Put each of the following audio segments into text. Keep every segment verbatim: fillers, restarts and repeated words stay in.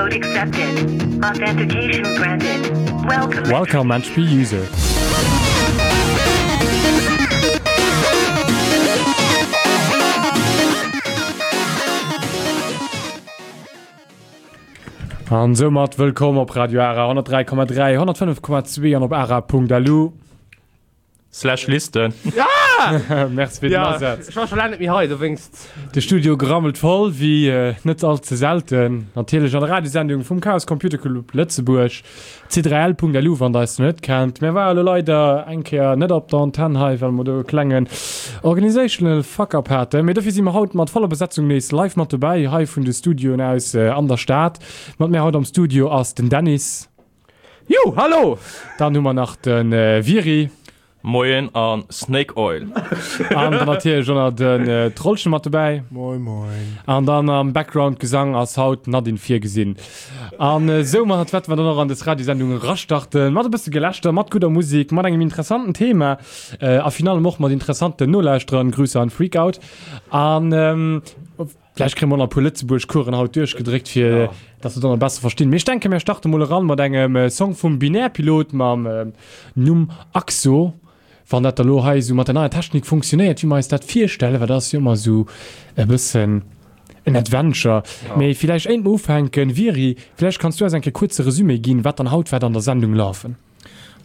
Code accepted. Authentication granted. Welcome. Welcome Entropy User. An soumat wëllkomm op Radio Ara honnertdräi Komma dräi, honnertfënnef Komma zwee an op ara Punkt lu. Slash Listen. Merci fir den Ja, Asaz. ech war scho laang net méi hei, dowéinst. De Studio grammelt voll, wéi net all ze selten. Natierlech an der Radiosendung vum Chaos Computer Club Lëtzebuerg. C drei L Punkt L U, wann der eis nach net kennt. Mir ware lo leider eng Kéier net op der Antenn hei, well mer do e klengen organisational Fuck-up haten. Mee dofir si mer haut mat voller Besetzung nees live mat dobäi, hei vun de Studioen aus an der Stad. Mat mir haut am Studio ass den Dennis. Jo, hallo! Dann hu mer nach de Viri. Moien an Snake Oil. An dann natierlech och nach den Trollchen mat dobäi. Moin moin. An dann am Background Gesang ass haut d'Nadine virgesinn. An soumat wäerte mer dann och an des Radiosendung erastarten, mat e bësse Gelächter, mat gudder Musik, mat engem interessanten Thema a virun allem och mat interessanten Nolauschterern. Grüße an Freakout. An vläicht kréie mer och nach e puer Lëtzebuerg-Coursen haut duerchgedréckt, fir dass se dann och besser verstinn. Mee ech denken, mir starte mol eran mat engem Song vum Binärpilot mam Numm Axo. Wann dat da lo hei esou mat der neier Technik funktionéiert, wéi mer eis dat virstellen, well dat ass jo ëmmer esou e bëssen en Adventure. Mee villäicht éint mer ufänken, Viri, villäicht kanns du eis eng Kéier kuerze Resumé ginn, wat dann haut wäert an der Sendung lafen.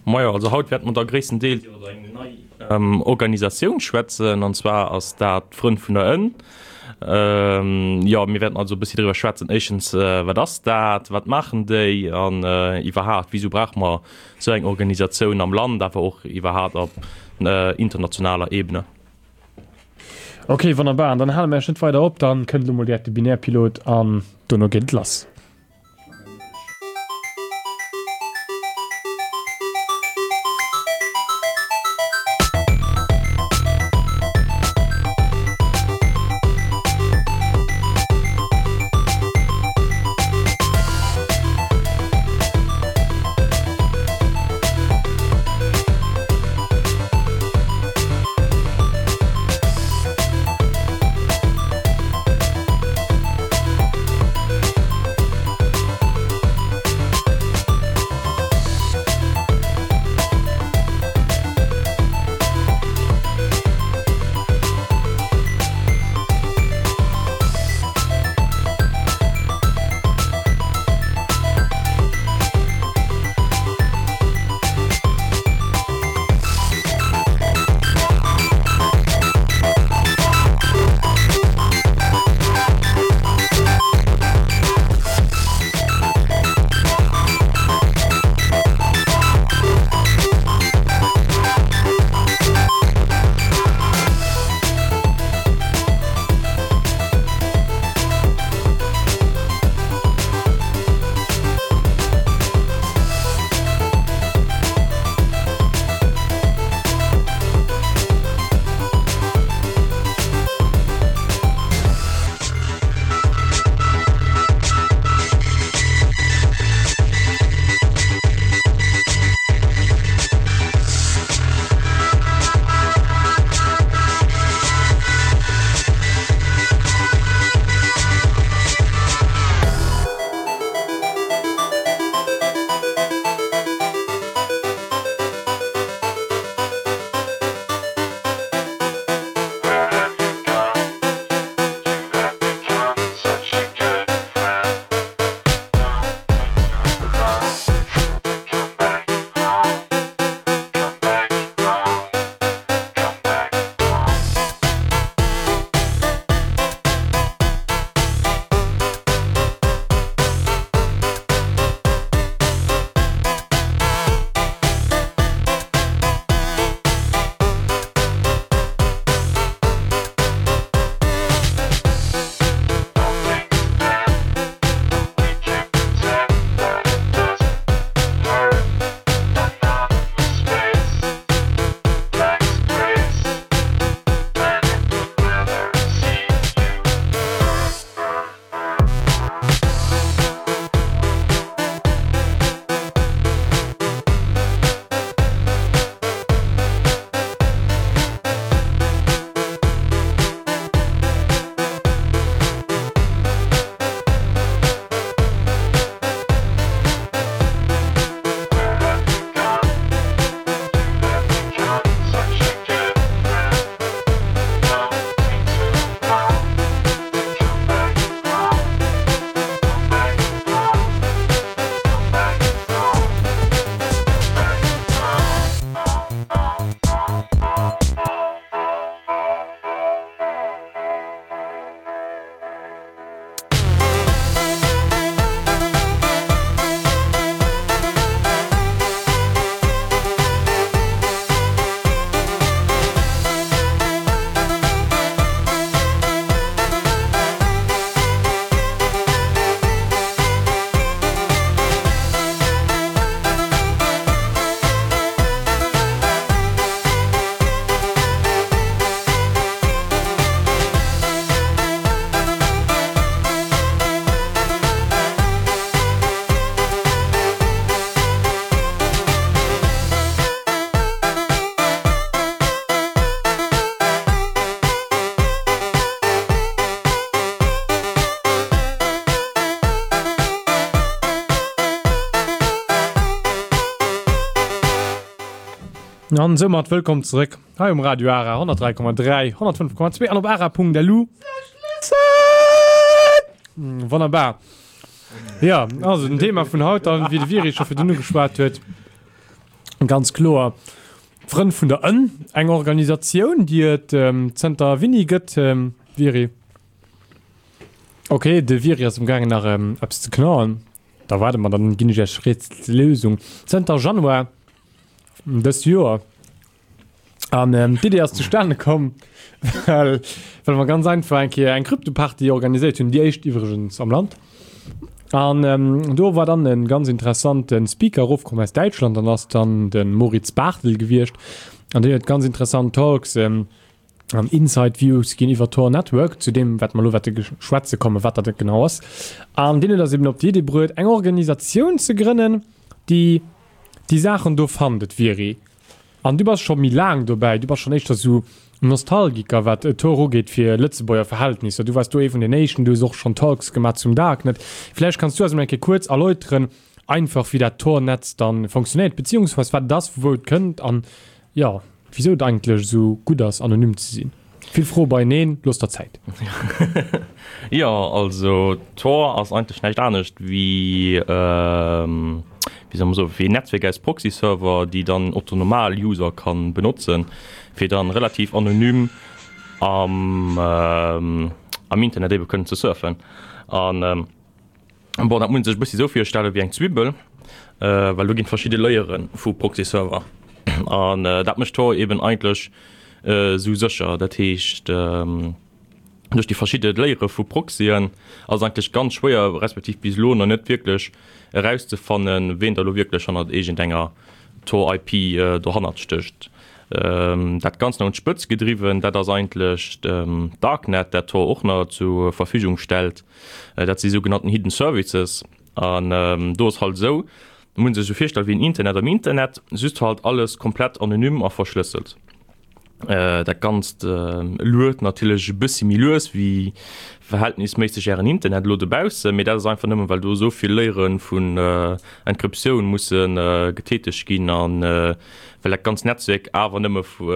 Majo, also haut wäerte mer da gréisstendeels iwwer eng nei Organisatioun schwätzen, an zwar ass dat d'Frënn vun der Ënn. Jo, mir wäerten also e bëssi driwwer schwätzen, éischtens, wat ass dat, wat maachen déi an iwwerhaapt, wisou brauche mer esou eng Organisatioun am Land, awer och iwwerhaapt op internationaler Ebene. Ok, wonnerbar. An dann hale mer iech net weider op, dann kënnt elo mol direkt de Binärpilot an dono geet et lass. An soumat wëllkomm zeréck hei um Radio Ara honnertdräi Komma dräi, honnertfënnef Komma zwee an op ara Punkt lu. Wonnerbar. Ja, also den Thema vun haut dann, wéi de Viri scho virdrun ugeschwat huet, ganz kloer d'Frënn vun der Ënn, eng Organisatioun, déi et zënter wéini gëtt, Viri? Ok, de Viri ass amgaangen nach eppes ze knaen. Da waarde mer, dann ginn ech iech d'Rätsellösung. Zënter Januar dëst Joer. An ähm, d'Idee ass zustane komm, well, well mer ganz einfach eng Kéier eng Kryptoparty organiséiert hunn, déi éischt iwwregens am Land. An ähm, do war dann en ganz interessante Speaker erofkomm aus Däitschland, an ass dann de Moritz Bartel gewiescht. An deen huet ganz interessant Talks ähm, an Inside Views ginn iwwer Tor Network, zu deem wat mer elo wäerte schwätze kommen, wat dat genau ass. An deen huet eis eben op déi Idee bruet, eng Organisatioun ze grënnen, déi déi Saachen do fannt. Et wier An du bass scho méi laang dobäi, du bass schonn éischter sou Nostalgiker wat Tor ugeet fir Lëtzebuerger Verhältnisser. Du waars do ee vun den éischten, du hues och schonn Talks gemaach zum Darknet. Vläicht kanns du eis emol eng Kéier kuerz erläuteren, einfach wéi dat Tor-Netz dann funktionéiert, beziehungsweis wat et ass, vu wou et kënnt an jo, wisou et eigentlech esou gutt ass anonym ze sinn. Vill Froe beieneen, looss der Zäit. Jo, also Tor ass eigentlech näischt anescht wéi, wéi soll mer soen, wéi en Netzwierk aus Proxy-Server, déi dann Otto Normal User kann benotzen, fir dann relativ anonym am am Internet ebe kënnen ze surfen. An bon, dat muss een sech e bëssi esou virstelle wéi eng Zwibbel, well do ginn verschidde Layere vu Proxy-Server an dat mécht Tor eben eigentlech esou sécher. Dat heescht, duerch déi verschidde Layere vu Proxyen ass et eigentlech ganz schwéier, respektiv bis elo nach net wierklech erauszefannen, ween da elo wierklech hannert iergendenger Tor-I P dohannert stécht. Dat Ganzt nach un d'Spëtz gedriwwen, dat ass eigentlech d'Darknet, dat Tor och nach zur Verfügung stellt. Dat si sougenannten Hidden Services. An do ass halt esou, muss een sech esou virstellen wéi en Internet am Internet, just halt alles komplett anonym a verschlësselt. Dat Ganzt luet natierlech e bëssi méi lues wéi verhältnisméisseg ären Internet elo dobaussen, mee dat ass einfach nëmmen, well do esou vill Layere vun Encryptioun musse getätegt ginn a well dat ganzt Netzwierk awer nëmme vu,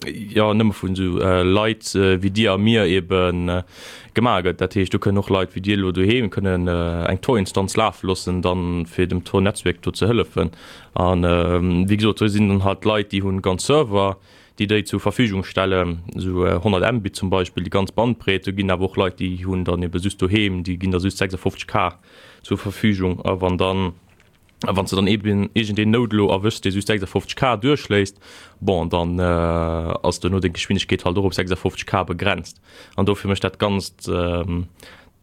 jo, nëmme vun esou Leit wéi dir a mir ebe gemaach gëtt. Dat heescht, do kënnen och Leit wéi dir elo doheem kënnen eng Tor-Instanz lafe loossen, dann fir dem Tor-Netzwierk do ze hëllefen. An wéi gesot, do sinn dann halt Leit, déi hunn ganz Server, déi déi zur Verfügung stellen, esou honnert Mbit zum Beispill, déi ganz Bandbreet. Do ginn awer och Leit, déi hunn dann ebe just doheem, déi ginn da just sechsundfünfzig K zur Verfügung. A wann dann, a wann s de dann eben iergendeen Node elo erwëschs, dee just sechsundfünfzig K duerchléisst, bon, dann ass duerno deng Geschwindegkeet halt och op sechsundfünfzig K begrenzt. An dofir mécht dat Ganzt,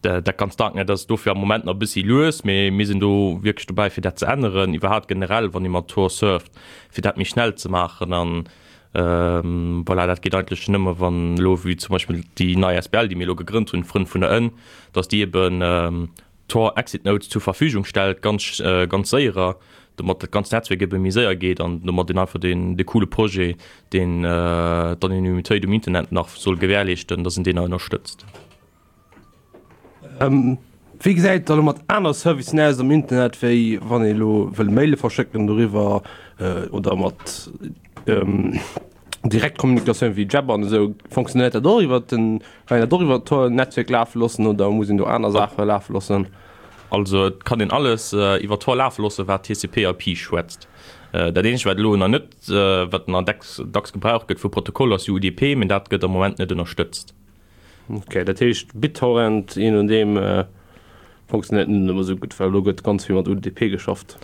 dat ganzt Darknet ass dofir am Moment nach e bëssi lues, mee mir sinn do wierklech dobäi, fir dat ze änneren, iwwerhaapt generell, wann ee mat Tor surft, fir dat méi schnell ze maachen. An voilà, dat geet eigentlech nëmme wann elo, wéi zum Beispill déi nei A S B L, déi mir elo gegrënnt hunn, Frënn vun der Ënn, datt déi eben Tor Exit Nodes zur Verfügung stellt, ganz, ganz séierer, domat dat ganzt Netzwierk ebe méi séier geet an domat een einfach deen, dee coole Projet, deen d'Anonymitéit um Internet nach soll gewährleeschten, datt een deen nach ënnerstëtzt. Wéi gesäit et da lo mat aner Servicen aus am Internet, wéi wann ee lo wëll Maile verschécken doriwwer oder mat Direktkommunikatioun wéi Jabber an esou? Fonctionnéiert dat och iwwer den, kann een dat och iwwer Tor-Netzwierk lafe loossen oder muss een do aner Saache lafe loossen? Also et kann een alles iwwer Tor lafe loossen, wat T C P I P schwätzt. Dat eenzegt wat elo nach net, wat nach dacks dacks gebraucht gëtt vu Protokoll ass U D P, mee dat gëtt am Moment net ënnerstëtzt. Ok, dat heescht BitTorrent, je nodeem, funktionéiert net ëmmer esou gutt, well elo gëtt ganz vill mat U D P geschafft.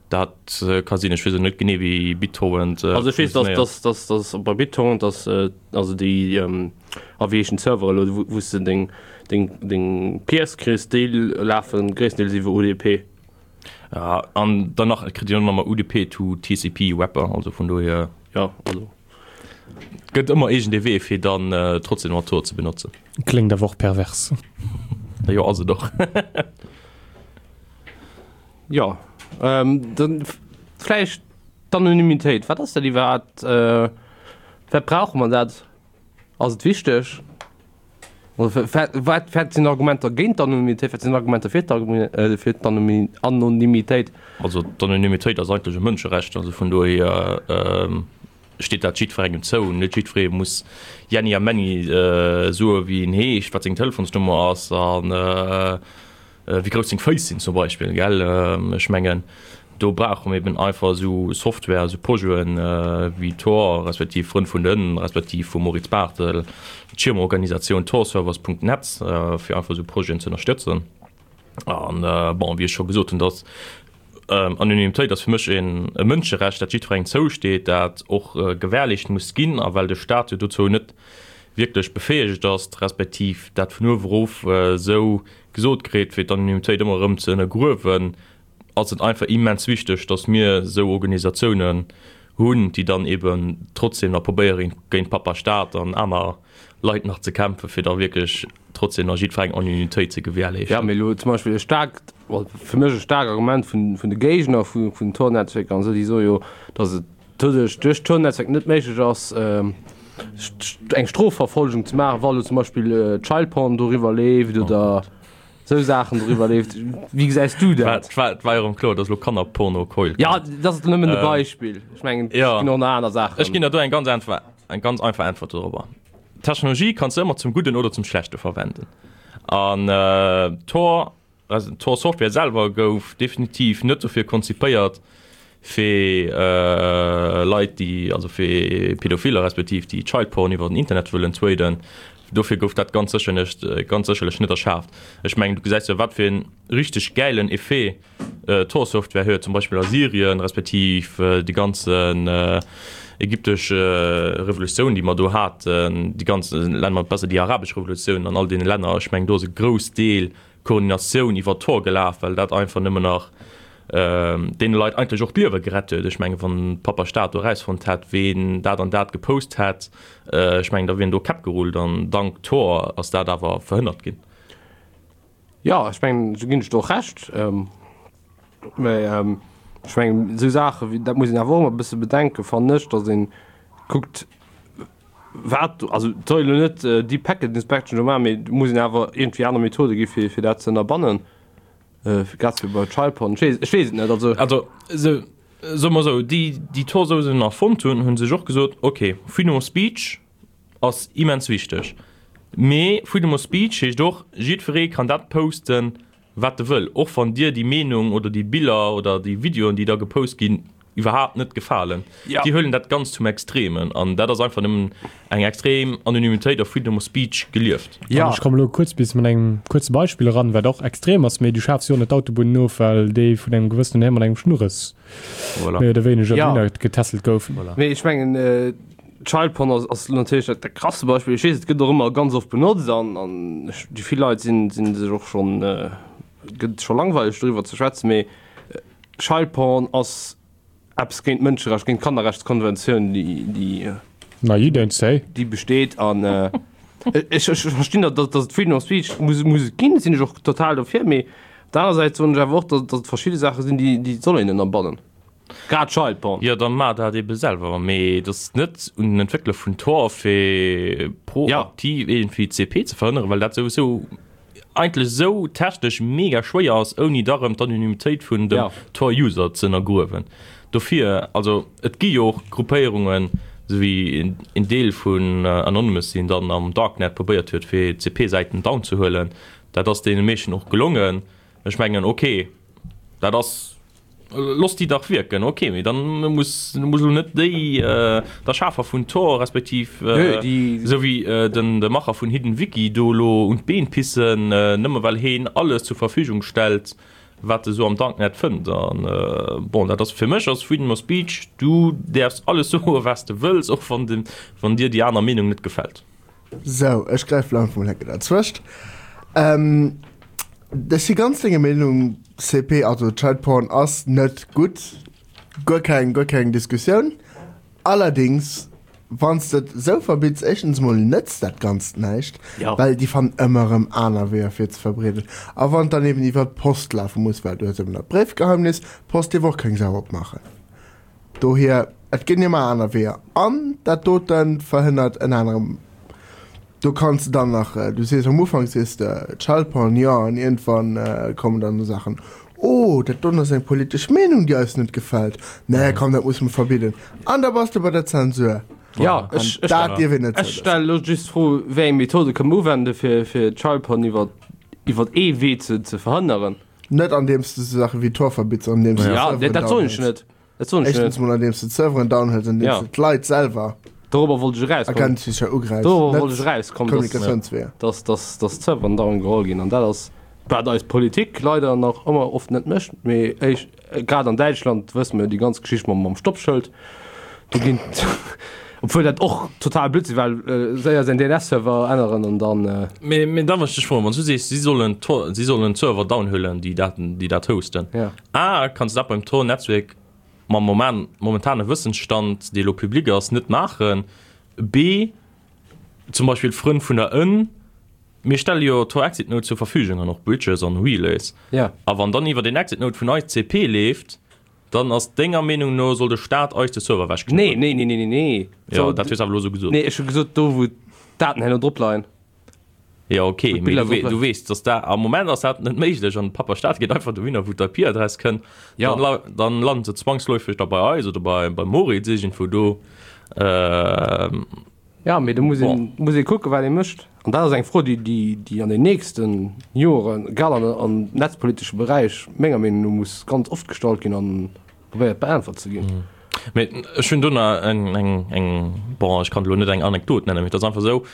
Dat ka sinn, ech weess elo net genee wéi BitTorrent Also ech weess, dass, funktionéiert. dass, dass, dass bei BitTorrent, dass also déi Aviation Server elo, wou wou s de deng deng deng Peers kriss, déi lafe gréisstendeels iwwer U D P. Ja, an dann nach kritt Dir och nach mol U D P to T C P Wrapper, also vun dohier. Ja, also. Gëtt ëmmer iergend ee Wee fir dann trotzdem mat Tor ze benotzen. Kléngt awer och pervers. Jo, ass et och. Jo, dann vläicht d'Anonymitéit. Wat ass dat iwwerhaapt? Wat brauche mer dat? Ass et wichteg? Wat wat sinn Argumenter géint d'Anonymitéit? Wat sinn Argumenter fir fir d'Anonymitéit? Also d'Anonymitéit ass eigentlech e Mënscherecht, also vun dohier steet dat jiddwerengem zou. Net jiddweree muss Jenni a Männi soe wéi en heescht, wat seng Telefonsnummer ass an wéi grouss seng Féiss sinn zum Beispill, gell. Ech mengen, do brauche mer eben einfach esou Software, esou Projeten wéi Tor, respektiv Frënn vun den, respektiv vum Moritz Barthel, d'Schirmorganisatioun torservers Punkt net, fir einfach esou Projeten ze ënnerstëtzen. An bon, wéi ech scho gesot hunn, dass Anonymitéit ass fir mech een e Mënscherecht, dat jiddwerengem zousteet, dat och gewährleescht muss ginn. A well de Staat jo dozou net wierklech befäegt ass, respektiv dat vun uewe erof esou gesot kritt, fir d'Anonymitéit ëmmer erëm ze ënnergruewen, ass et einfach immens wichteg, datt mir esou Organisatiounen hunn, déi dann eeben trotzdem nach probéieren, géint Papa Staat an aner Leit nach ze kämpfen, fir da wierklech trotzdem nach jiddwerengem Anonymitéit ze gewährleeschten. Jo, mee elo zum Beispill e staarkt, fir mech e staarkt Argument vun de Géigner vun den Tor-Netzwerker an esou, déi soe jo, datt et doduerch, duerch d'Tor-Netzwerk net méiglech ass, eng Strofverfolgung ze maachen, wa elo zum Beispill Child Porn doriwwer leeft oder esou Saachen doriwwer leeft. Wéi gesäis du dat? Et war jo erëm kloer, datt elo Kannerporno keult. Jo, dat ass nëmmen e Beispill. Ech mengen, et ginn och nach aner Saachen. Ech ginn der do eng ganz einfach, eng ganz einfach Äntwert dorobber. Technologie kanns de ëmmer zum Gudden oder zum Schlechte verwenden. An Tor, also Tor Software selwer gouf definitiv net dofir konzipéiert, fir Leit, déi, also fir Pädophiler respektiv déi Child Porn iwwer den Internet wëllen tweeten. Dofir gouf dat ganz sécher net, ganz sécherlech net erschaaft. Ech mengen, du gesäis jo, wat fir en richteg gäilen Effet Tor Software huet, zum Beispill a Syrien, respektiv déi ganzen ägyptesch Revolutioun, déi mer do haten, déi ganz, nennen mer et besser déi arabesch Revolutioun an all deene Länner. Ech mengen, do ass e grouss Deel Koordinatioun iwwer Tor gelaf, well dat einfach nëmmen nach deene Leit eigentlech och d'Liewe gerett huet. Ech mengen, wann Pappa Staat do erausfonnt hätt, ween dat an dat gepost hätt, ech mengen, da wieren do Käpp gerullt an dank Tor ass dat awer verhënnert ginn. Jo, ech mengen, do ginn ech der och Recht. Mä ech mengen, esou Saache wéi, dat muss een awer och ëmmer e bësse bedenken, fannen ech, datt ee kuckt, wat do, also et soll een elo net déi Packet Inspection do maachen, mee et muss een awer iergendwéi aner Methode gi fir, fir dat ze ënnerbannen, grad wéi bei Child Porn. Ech weess, ech weess et net. Also, also esou, soe mer esou, déi, déi Tor-Sousen erfonnt hunn, hu sech och gesot, okay, Freedom of Speech ass immens wichteg, mee Freedom of Speech heescht och, jiddweree kann dat posten, wat e wëll, och wann dir déi Meenung oder déi Biller oder déi Videoen, déi da gepost ginn, iwwerhaapt net gefalen. Ja. Déi huelen dat Ganzt zum Extremen an dat ass einfach nëmmen eng extrem Anonymitéit a Freedom of Speech gelieft. Ja. An ech komme lo kuerz bis mat engem kuerze Beispill eran, wat och extrem ass, mee du schafs jo och net d'Autobunnen of, well déi vun engem gewëssenen Här mat engem Schnurres Voilà. méi oder wéineger Ja. dohinner getässelt goufen. Voilà. Mee ech mengen, Child Porn ass, ass natierlech dat, dat krasste Beispill. Ech weess, et gëtt och ëmmer ganz oft benotzt an, an ech, déi vill Leit sinn, sinn sech och schonn, gëtt scho langweileg doriwwer ze schwätzen, mee Child Porn ass eppes géint d'Mënscherecht, géint d'Kannerrechtskonventioun, déi, déi, Na, you don't say. déi besteet. An ech, ech verstinn, datt, datt et Freedom of Speech muss, muss et ginn, sinn ech och total dofir, mee op der aner Säit soen ech awer och, datt, datt et verschidde Saache sinn, déi, déi soll een ënnerbannen. Grad Child Porn. Jo, dann maach dat ebe selwer, mee et ass net un den Entwéckler vun Tor fir proaktiv iergendwéi C P ze verhënneren, well dat souwisou eigentlech esou technesch mega schwéier ass, ouni da rëm d'Anonymitéit vun dem Tor-User ze ënnergruewen. Dofir, also et gi jo och Gruppéierungen, esou wéi en Deel vun Anonymous, deen dann am Darknet probéiert huet fir C P-Säiten down ze huelen. Dat ass deene meeschten och gelongen. Ech mengen, ok, dat ass. Looss déi dach wierken, ok, mee dann muss muss elo net déi der Schafer vun Tor respektiv esou wéi den de Macher vun Hidden Wiki do elo un d'Been pissen, nëmme well heen alles zur Verfügung stellt, wat e sou am Darknet fënnt. An bon, dat ass fir mech ass Freedom of Speech, du däerfs alles soe wat s de wëlls, och wann de wann dir déi aner Meenung net gefält. Sou, ech gräifen elo einfach mol enke derzwëscht. Ech si ganz denger Meenung C P, also Child Porn ass net gutt, guer keng, guer keng Diskussioun. Allerdings, wann s de et esou verbidds, éischtens emol nëtzt dat Ganzt näischt, well déi fannen ëmmer erëm aner Weeër fir et ze verbreeden. A wann et dann eben iwwer d'Post lafe muss, well du hues eben dat Bréifgeheimnis, d'Post dierf och keng Sau opmaachen. Dohier, et ginn ëmmer aner Weeër an dat dote verhënnert ënner anerem, Do kanns de dann nach, du sees am Ufank sees de Child Porn, jo, an iergendwann kommen dann esou Saachen, Oh, dat doen ass eng politesch Meenung, déi eis net gefält. Nee, komm, dat muss mer verbidden. An da bass de bei der Zensur. Ja, ech, ech, Dat dierf een net ech zouloossen. stelle lo just d'Fro, wéi eng Methode kënne mer uwende fir, fir Child Porn iwwer, iwwer ee Wee ze, ze verhënneren. Net andeems du sou Saache wéi Tor verbitts, andeems du Ja, Serveren dat, dat soen ech downhëls. net. Dat soen ech Éischtens net. mol andeems du d'Serveren downhëls, andeems Ja. du d'Leit selwer Dorobber wollt ech erauskommen. Agentsicher ugräifs, Dorobber wollt net ech erauskommen, dass, Kommunikatiounsweeër. dass, dass, dass d'Serveren down geholl ginn. An dat ass, wat eis Politik leider nach ëmmer oft net mécht. Mee ech, grad an Däitschland wësse mer déi ganz Geschicht mam, mam Stoppschëld. Do ginn, obwuel dat och total Blödsinn, well äh, séier säin D N S-Server änneren an dann äh, Mee, mee da wollt ech dech froen, wann du sees, si sollen Tor, si sollen Server downhuelen, déi Daten, déi dat hosten. Ja. A, kanns du dat beim Tor-Netzwerk mam Moment, momentane Wëssensstand, dee lo public ass, net maachen? B, zum Beispill Frënn vun der Ënn, mir stelle jo Tor Exit Node zur Verfügung an och Bridges an Relays. Ja. A wann dann iwwer den Exit Node vun eis C P leeft, dann ass denger Meenung no soll de Staat eis de Server Nee, wechknippen. nee, nee, nee, nee, nee. Ja, So, dat hues awer lo sou gesot. Nee, ech hu gesot, do wou d'Daten herno drop leien. Ja, okay, Wou mee d'Biller du, we drop du weess, dass da am Moment ass dat net méiglech an Papa Staat geet einfach dohinner, wou d'I P-Adress kënnt. Ja. Dann, la dann landet se zwangsläufig da bei eis oder bei, bei Moritz irgendwo do. Ähm, Ja, mee do muss een, muss ee kucken, wat ee mécht. An dat ass eng Fro, déi, déi, déi an den nächste Joren, grad an, am netzpolitesche Beräich, menger Meenung no muss ganz oft gestallt ginn an probéiert beäntwert ze ginn. Mee ech hunn do nach eng, eng, eng, bon, ech kann lo net eng Anekdot nennen, mee dat ass einfach sou,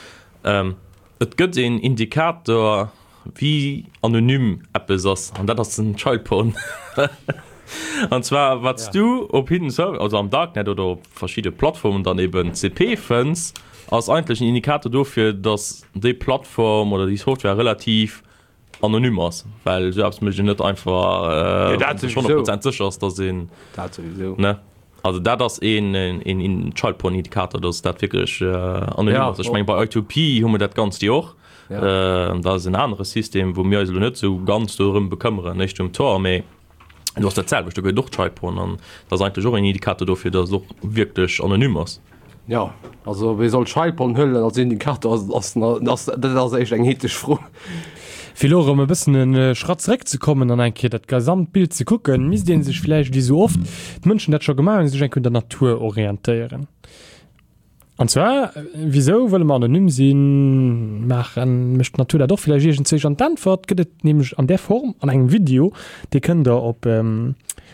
ähm, et gëtt een Indikator, wéi anonym eppes ass, an dat ass den Child Porn. An zwar, wat s Ja. du op Hidden Server, also am Darknet oder op verschidde Plattformen dann eben C P fënns, ass eigentlech en Indikator dofir, dass déi Plattform oder déi Software relativ anonym ass, well sou eppes mécht een net einfach, äh, Ja, dat wann souwisou. honnert Prozent sécher ass, dass een Dat souwisou. Ne? Also dat ass een, een, een, een Child Porn Indikator, dass dat wierklech äh, anonym Ja, ass. Ech meng, bei I two P hu mer dat Ganzt jo och. Ja. Äh, dat ass en anere System, wou mir eis lo net sou ganz dorëm bekëmmeren, net um Tor, mee do ass dat selwecht, do gëtt och Child Porn an dat ass eigentlech och en Indikator dofir, dass et och wierklech anonym ass. Ja, also wie soll Child Porn huelen als Indikator, ass, ass, ass, dat ass echt eng ethesch Fro. Fir lo erëm e bëssen en Schratt zeréckzekommen an eng Kéier dat gesamt Bild ze kucken, misst een sech vläicht, wéi sou oft d'Mënschen dat scho gemaach hunn, sech eng Kéier un der Natur orientéieren. An zwar, wisou wëlle mer anonym sinn? Maachen, mécht d'Natur dat och vläicht iergendzwousch? An d'Äntwert gëtt et nämlech an där Form an engem Video, dee kënnt der op,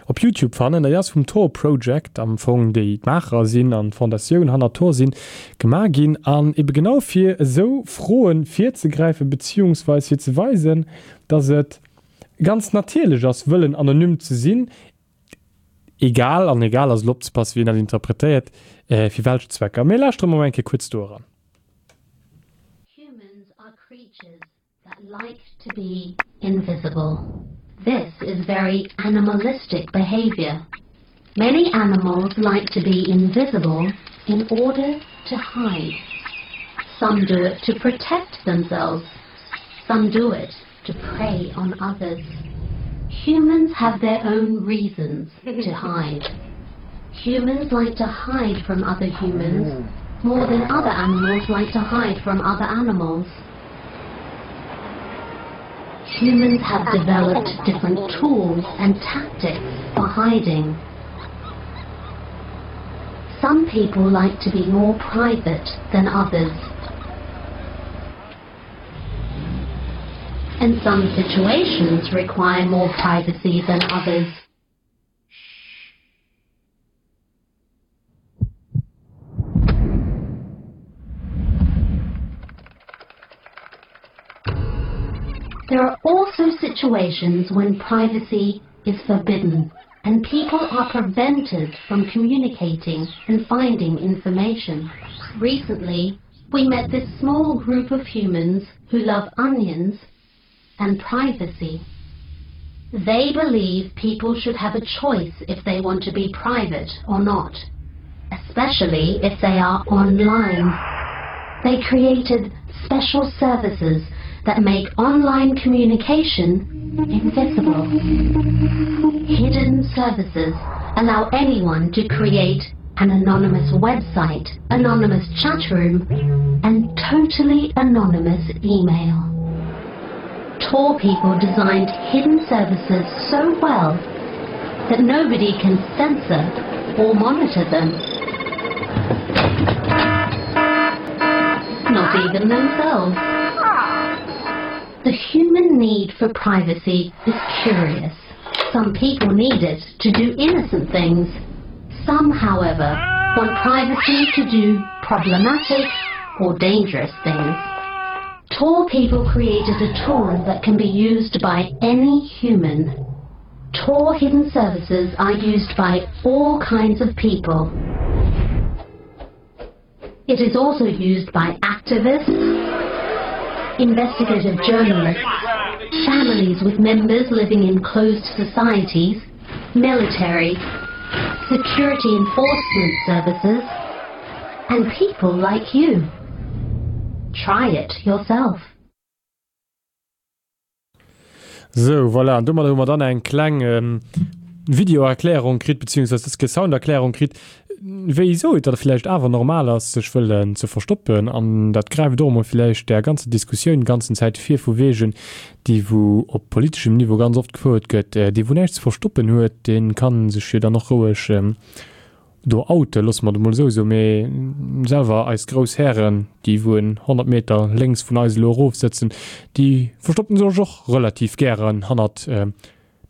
op YouTube fannen. Dat ass vum Tor Project am Fong, déi d'Maacher sinn an d'Fondatioun hanner Tor sinn, gemaach ginn. An ebe genau fir esou Froen virzegräifen, beziehungsweis fir ze weisen, dass et ganz natierlech ass, wëllen anonym ze sinn, egal, an egal ass elo opzepassen, wéi een dat interpretéiert, äh, fir welch Zwecker. Mir lauschtere mol eng Kéier kuerz do eran. Humans are creatures that like to be invisible. This is very animalistic behavior. Many animals like to be invisible in order to hide. Some do it to protect themselves. Some do it to prey on others. Humans have their own reasons to hide. Humans like to hide from other humans more than other animals like to hide from other animals. Humans have developed different tools and tactics for hiding. Some people like to be more private than others. And some situations require more privacy than others. There are also situations when privacy is forbidden and people are prevented from communicating and finding information. Recently, we met this small group of humans who love onions and privacy. They believe people should have a choice if they want to be private or not, especially if they are online. They created special services that make online communication invisible. Hidden services allow anyone to create an anonymous website, anonymous chat room, and totally anonymous email. Tor people designed hidden services so well that nobody can censor or monitor them. Not even themselves. The human need for privacy is curious. Some people need it to do innocent things. Some, however, want privacy to do problematic or dangerous things. Tor people created a tool that can be used by any human. Tor hidden services are used by all kinds of people. It is also used by activists, investigative journalists, families with members living in closed societies, military, security enforcement services, and people like you. Try it yourself. Sou, voilà, an domadder hu mer dann eng kleng Videoerklärung kritt, beziehungsweise dës Kéier Sounderklärung kritt, wéisou et da villäicht awer normal ass, sech wëllen ze verstoppen. An dat gräift och emol villäicht där ganzer Diskussioun ganzen Zäit vir, vu wegen, déi wou op politeschem Niveau ganz oft gefouert gëtt, dee wou näischt ze verstoppen huet, dee ka sech jo dann och roueg do outen, loosse mer et emol esou soen. Mee selwer eis grouss Hären, déi wou en honnert Meter lénks vun eis elo erof sëtzen, déi verstoppen sech och relativ gären hannert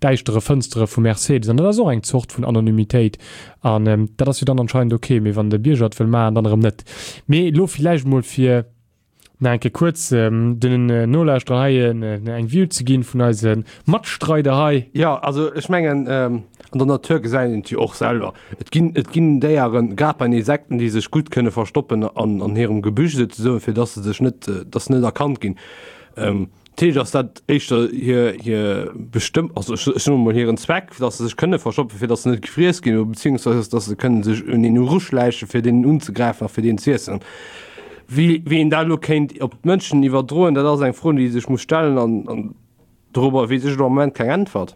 däischtere Fënstere vu Mercedes. An dat ass och eng Zort vun Anonymitéit. An dat ass jo dann anscheinend ok, mee wann de Bierger et wëll maachen, dann erëm net. Mee elo villäicht emol fir nach eng Kéier kuerz den Nolauschterer hei eng View ze ginn vun eise Matstreider hei. Jo, also ech mengen, an der Natur gesäit een et jo och selwer. Et ginn, et ginn Déieren, grad bei den Insekten, déi sech gutt kënne verstoppen an, an hirem Gebüsch souzesoen, fir dass se sech net, dass se net erkannt ginn. Dat heescht, ass dat éischter hir, hir bestëmm, also ech, ech soen emol hiren Zweck, fir dass se sech kënne verstoppen, fir dass se net gefriess ginn, oder beziehungsweise dass se kënne sech un een eruschläichen, fir deen unzegräifen a fir deen z'iessen. Wéi, wéi een dat elo kéint op d'Mënschen iwwerdroen, dat ass eng Fro, déi ee sech muss stellen an, an dorobber weess ech elo am Moment keng Äntwert.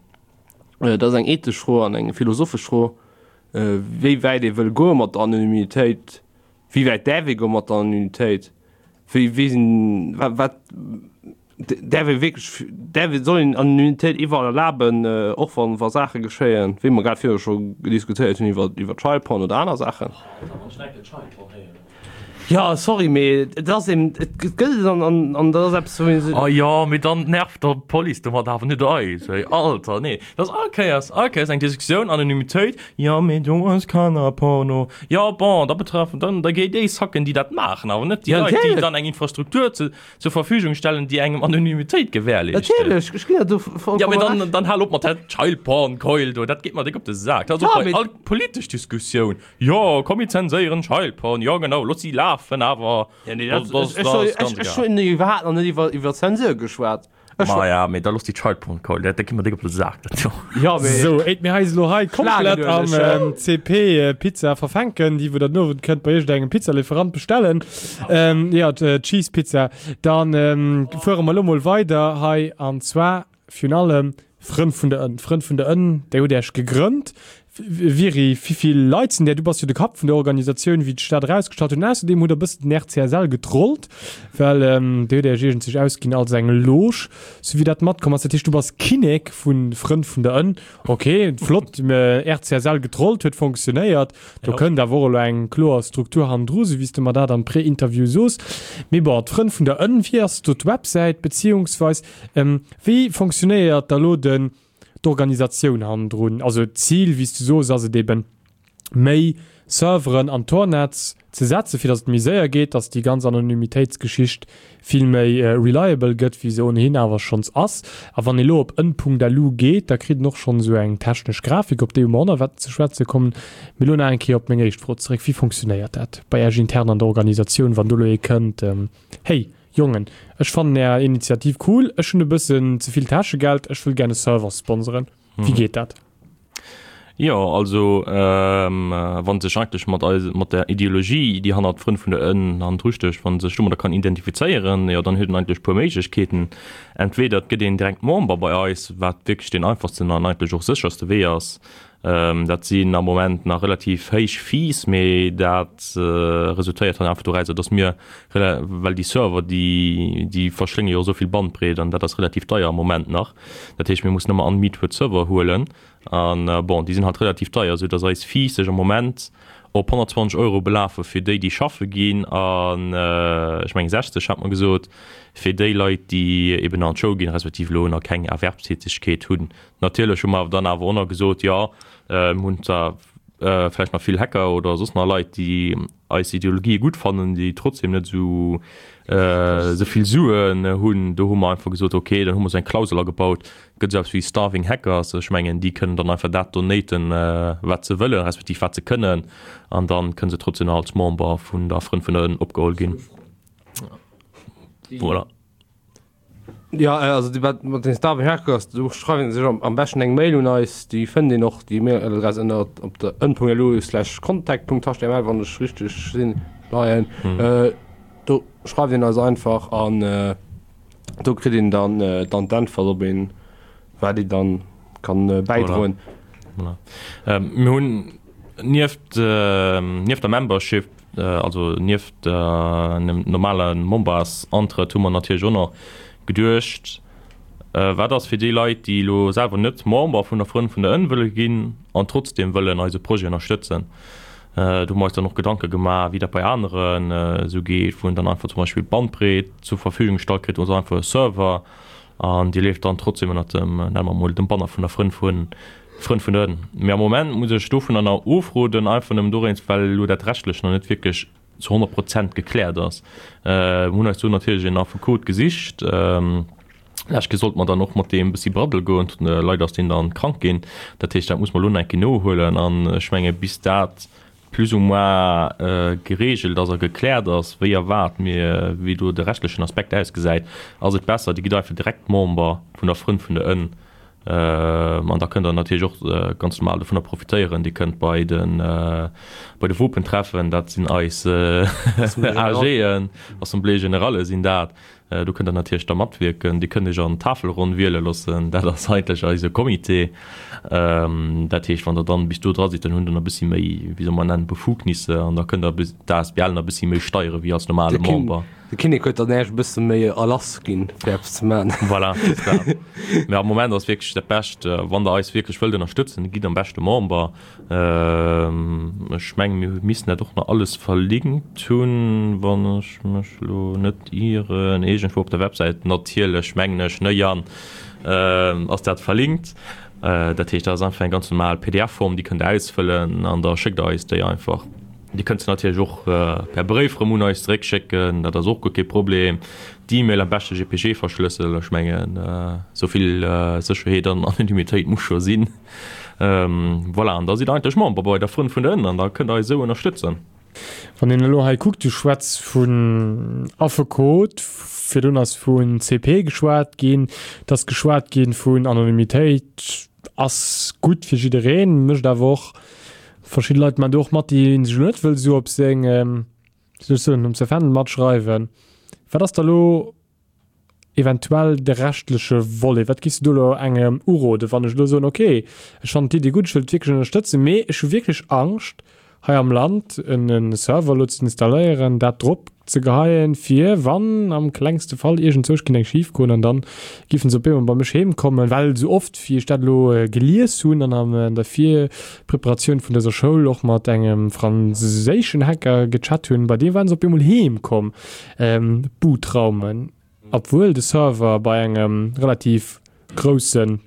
Dat ass eng ethesch Fro an eng philosophesch Fro, wéi wäit ee wëll goe mat der Anonymitéit, wéi wäit däerf ee goe mat der Anonymitéit, wéi, wéi sinn, wat, wat däerf ee wierklech, däerf ee, soll een Anonymitéit iwwerall erlaben, och wann, wa Saache geschéien, wéi mer grad virdru scho diskutéiert hunn iwwer, iwwer Child Porn oder aner Saachen. Jo, sorry, mee et ass eben, et gëtt et an, an, an dat ass eppes, wou ee sech. Oh jo, mee dann nervt der d'Police domat awer net eis, ey. Alter, nee, dat ass all Kéiers, all Kéiers eng Diskussioun, Anonymitéit, jo, mee do ass Kannerporno. Jo, bon, da betreffen, dann, da géi déi sacken, déi dat maachen, awer net déi Leit, déi dann eng Infrastruktur ze, zur Verfügung stellen, déi engem Anonymitéit gewährleeschten. Natierlech, ech ginn der do vollkommen Ja, mee dann, Recht. dann hal op mat der Childporn-Keul do, dat geet mer déck op de Sak. Dat ass Ja, och bei mee all politesch Diskussioun, Jo, komm mir zenséieren Childporn, jo genau, looss si lafen, awer Ja, nee, dat, dat, dat, ech, dat ech, ass ech, ganz ech egal. hunn iwwerhaapt nach net iwwer, iwwer Zensur geschwat. Ech Ma ja, mee da looss déi Childporn-Keul, dat, dat geet mer déck op de Sak, dat do. Ja, mee Sou, éit mir eis elo hei komplett am Schlagedueleg, C P Pizza verfänken, déi wou der den Owend kënnt bei iergendengem Pizzalieferant bestellen, jo, d'Cheese Pizza. Dann fuere mer elo mol weider hei, an zwar virun allem Frënn vun der Ënn. Frënn vun der Ënn, där hutt Iech gegrënnt. Viry, wivill Leit sinn där? Du bass jo de Kapp vun der Organisatioun, wéi ech dat erausgestallt hunn. Ausserdeem hutt der e bëssen den R C S L getrollt, well dir hutt Iech iergendzech ausginn als eng Loge, sou wéi dat matkomm ass. Dat heescht, du bass Kinnek vu Frënn vun der Ënn. Ok, flott, R C S L getrollt huet fonctionnéiert. Do kënnt awer och elo eng kloer Struktur hannendru, sou wéi s de mer dat am Pré-Interview soos. Mee bon, d'Frënn vun der Ënn, wéi ass do d'Websäit, beziehungsweis wéi fonctionnéiert da lo den d'Organisatioun hannendrun? Also d'Zil, wéi s du soos, ass et eben, méi Serveren an d'Tor-Netz ze setzen, fir datt et méi séier geet, datt déi ganz Anonymitéitsgeschicht vill méi reliable gëtt, wéi se ohnehin awer schonns ass. A wann ee lo op ënn Punkt L U geet, da kritt en och schonn esou eng technesch Grafik, op déi mer och nach wäerten ze schwätze kommen. Mee lo nach eng Kéier op meng éischt Fro zeréck, Wéi fonctionnéiert dat bei Iech intern an der Organisatioun, wann do lo ee kënnt, Hey Jongen, ech fannen Är Initiativ cool, ech hunn e bëssen ze vill Täschegeld, ech wëll gär e Server sponsoren. Wéi geet dat? Jo, also wann sech eigentlech mat eis, mat der Ideologie, déi hannert Frënn vun der Ënn hannendru stécht, wann sech domadder kann identifizéieren, jo dann huet en eigentlech puer Méiglechkeeten. Entweder et gëtt een direkt Member bei eis, wat wierklech deen einfachsten an eigentlech och sécherste Wee ass. Dat sinn am Moment nach relativ héich Fees, mee dat resultéiert dann einfach dorausser, dass mir, well déi Server, déi, déi verschlénge jo esou vill Bandbreet an dat ass relativ deier am Moment nach. Dat heescht, mir mussen ëmmer unmetered Server huelen an, bon, déi sinn halt relativ deier, esou dass eis Fees sech am Moment op honnertzwanzeg Euro belafe fir déi, déi schaffe ginn an, ech mengen sechzeg hat mer gesot, fir déi Leit, déi eben an d'Schoul ginn, respektiv elo nach keng Erwerbstätigkeet hunn. Natierlech hu mer dann awer och nach gesot, jo, mir hunn zwar vläicht nach vill Hacker oder soss nach Leit, déi eis Ideologië gutt fannen, déi trotzdem net esou esou vill Suen hunn. Do hu mer einfach gesot, okay, dann hu mer esou eng Klausel agebaut, gëtt esou eppes wéi Starving Hackers. Ech mengen, déi kënnen dann einfach dat donaten, wat se wëllen, respektiv wat se kënnen, an dann kënne se trotzdem nach als Member vun der Frënn vun der Ënn opgeholl ginn. Voilà. Jo, also déi wat mat den Starving Hackers, do schreiwen se sech am beschten eng Mail un eis. Déi fënnt een och, déi Mailadress ënner op der ënn punkt lu slash contact punkt html, wann ech richteg sinn, leien. Do schreift een eis einfach an do kritt een dann dann d'Äntwert, ob een, wat een dann kann bäidroen. Voilà. Voilà. Mir hunn nieft nieft der Membership, also nieft dem normale Membersantrëtt hu mer natierlech och nach geduecht, wat ass fir déi Leit, déi elo selwer net Member vun der Frënn vun der Ënn wëlle ginn an trotzdeem wëllen eise Projet ënnerstëtzen. Do hu mer eis dann och Gedanke gemaach, wéi dat bei aneren esou geet, wou een dann einfach zum Beispill d'Bandbreet zur Verfügung gestallt kritt oder einfach e Server an déi leeft dann trotzdeem ënnert dem, nenne mer emol, dem Banner vun der Frënn vun Frënn vun der Ënn. Mee am Moment muss ech dovunner nach ofroden, einfach nëmmen dowéinst, well elo dat Rechtlech nach net wierklech zu honnert Prozent gekläert ass. Mir hunn eis do natierlech een Affekot gesicht. Lescht Kéier sollte mer dann och mat deem e bëssi braddel goen. Leider ass deen dann krank ginn. Dat heescht, dat muss mer elo nach eng Kéier nohuelen. An ech menge bis dat plus ou moins geregelt ass a gekläert ass, wéi a wat mir, wéi do de rechtlechen Aspekt ausgesäit, ass et besser, Dir gitt einfach direkt Member vun der Frënn vun der Ënn. An da kënnt der natierlech och ganz normal dovunner profitéieren. Dir kënnt bei de bei de Wopentreffen, dat sinn eis A Gen, Assemblée générale sinn dat, do kënnt der natierlech da matwierken. Dir kënnt iech an d'Tafelronn wiele loossen, dat ass eigentlech eise Comité. Dat heescht, wann der dann bis do dra sidd, dann hunn der nach e bëssi méi, wéi soll mer nennen, Befugnisse an da kënnt der d'A S B L nach e bëssi méi steiere wéi als normale Member. De Kinnek huet dann äech e bësse méi Erlass ginn, fir eppes ze maachen. Voilà, dat ass dat. Mä am Moment ass wierklech dat Bescht, wann Der eis wierklech wëllt ënnerstëtzen, gitt am beschte Member. Ech mengen, mir missten dat och nach alles verlinkt hunn, wann ech mech elo net ieren, iergendwou op der Websäit natierlech, mengen ech, ne Yann, ass dat verlinkt. Dat heescht, dat ass einfach eng ganz normal P D F-Form, déi kënnt Der ausfëllen an da schéckt Der eis déi einfach. Dir kënnt se natierlech och per Bréif erëm un eis zeréckschécken, dat ass och guer kee Problem. D'E-Mail am beschte J P G verschlëssel, ech mengen esou vill Sécherheet an Anonymitéit muss scho sinn. Voilà, an da sidd Der eigentlech Member bei der Frënn vun der Ënn an da kënnt Der eis esou ënnerstëtzen. Wann een elo hei kuckt, du schwätz vun Affekot, virdrun ass vun C P geschwat ginn, et ass geschwat gi vun Anonymitéit ass gutt fir jiddereen, mécht awer och verschidde Leit man do och mat, déi sech elo net wëll sou op seng, wéi soll ech soen, op säi Fändel matschreiwen. Wat ass da lo eventuell de rechtleche Volet? Wat giffs du do elo engem uroden, wann ech elo soen, okay, ech fannen d'Iddi gutt, ech wëll et wierklech ënnerstëtzen, mee ech hu wierklech Angscht, hei am Land en Server elo ze installéieren, dat drop ze geheien, fir wann am klengste Fall iergendzwousch géing eng schif goen an dann giffen se op eemol bei mech heem kommen, well esou oft wéi ech dat elo gelies hunn an an der Virpreparatioun vun dëser Schoul och mat engem franséischen Hacker gechat hunn, bei deem waren se op eemol heem komm Bootraumen, obwuel de Server bei engem relativ grousse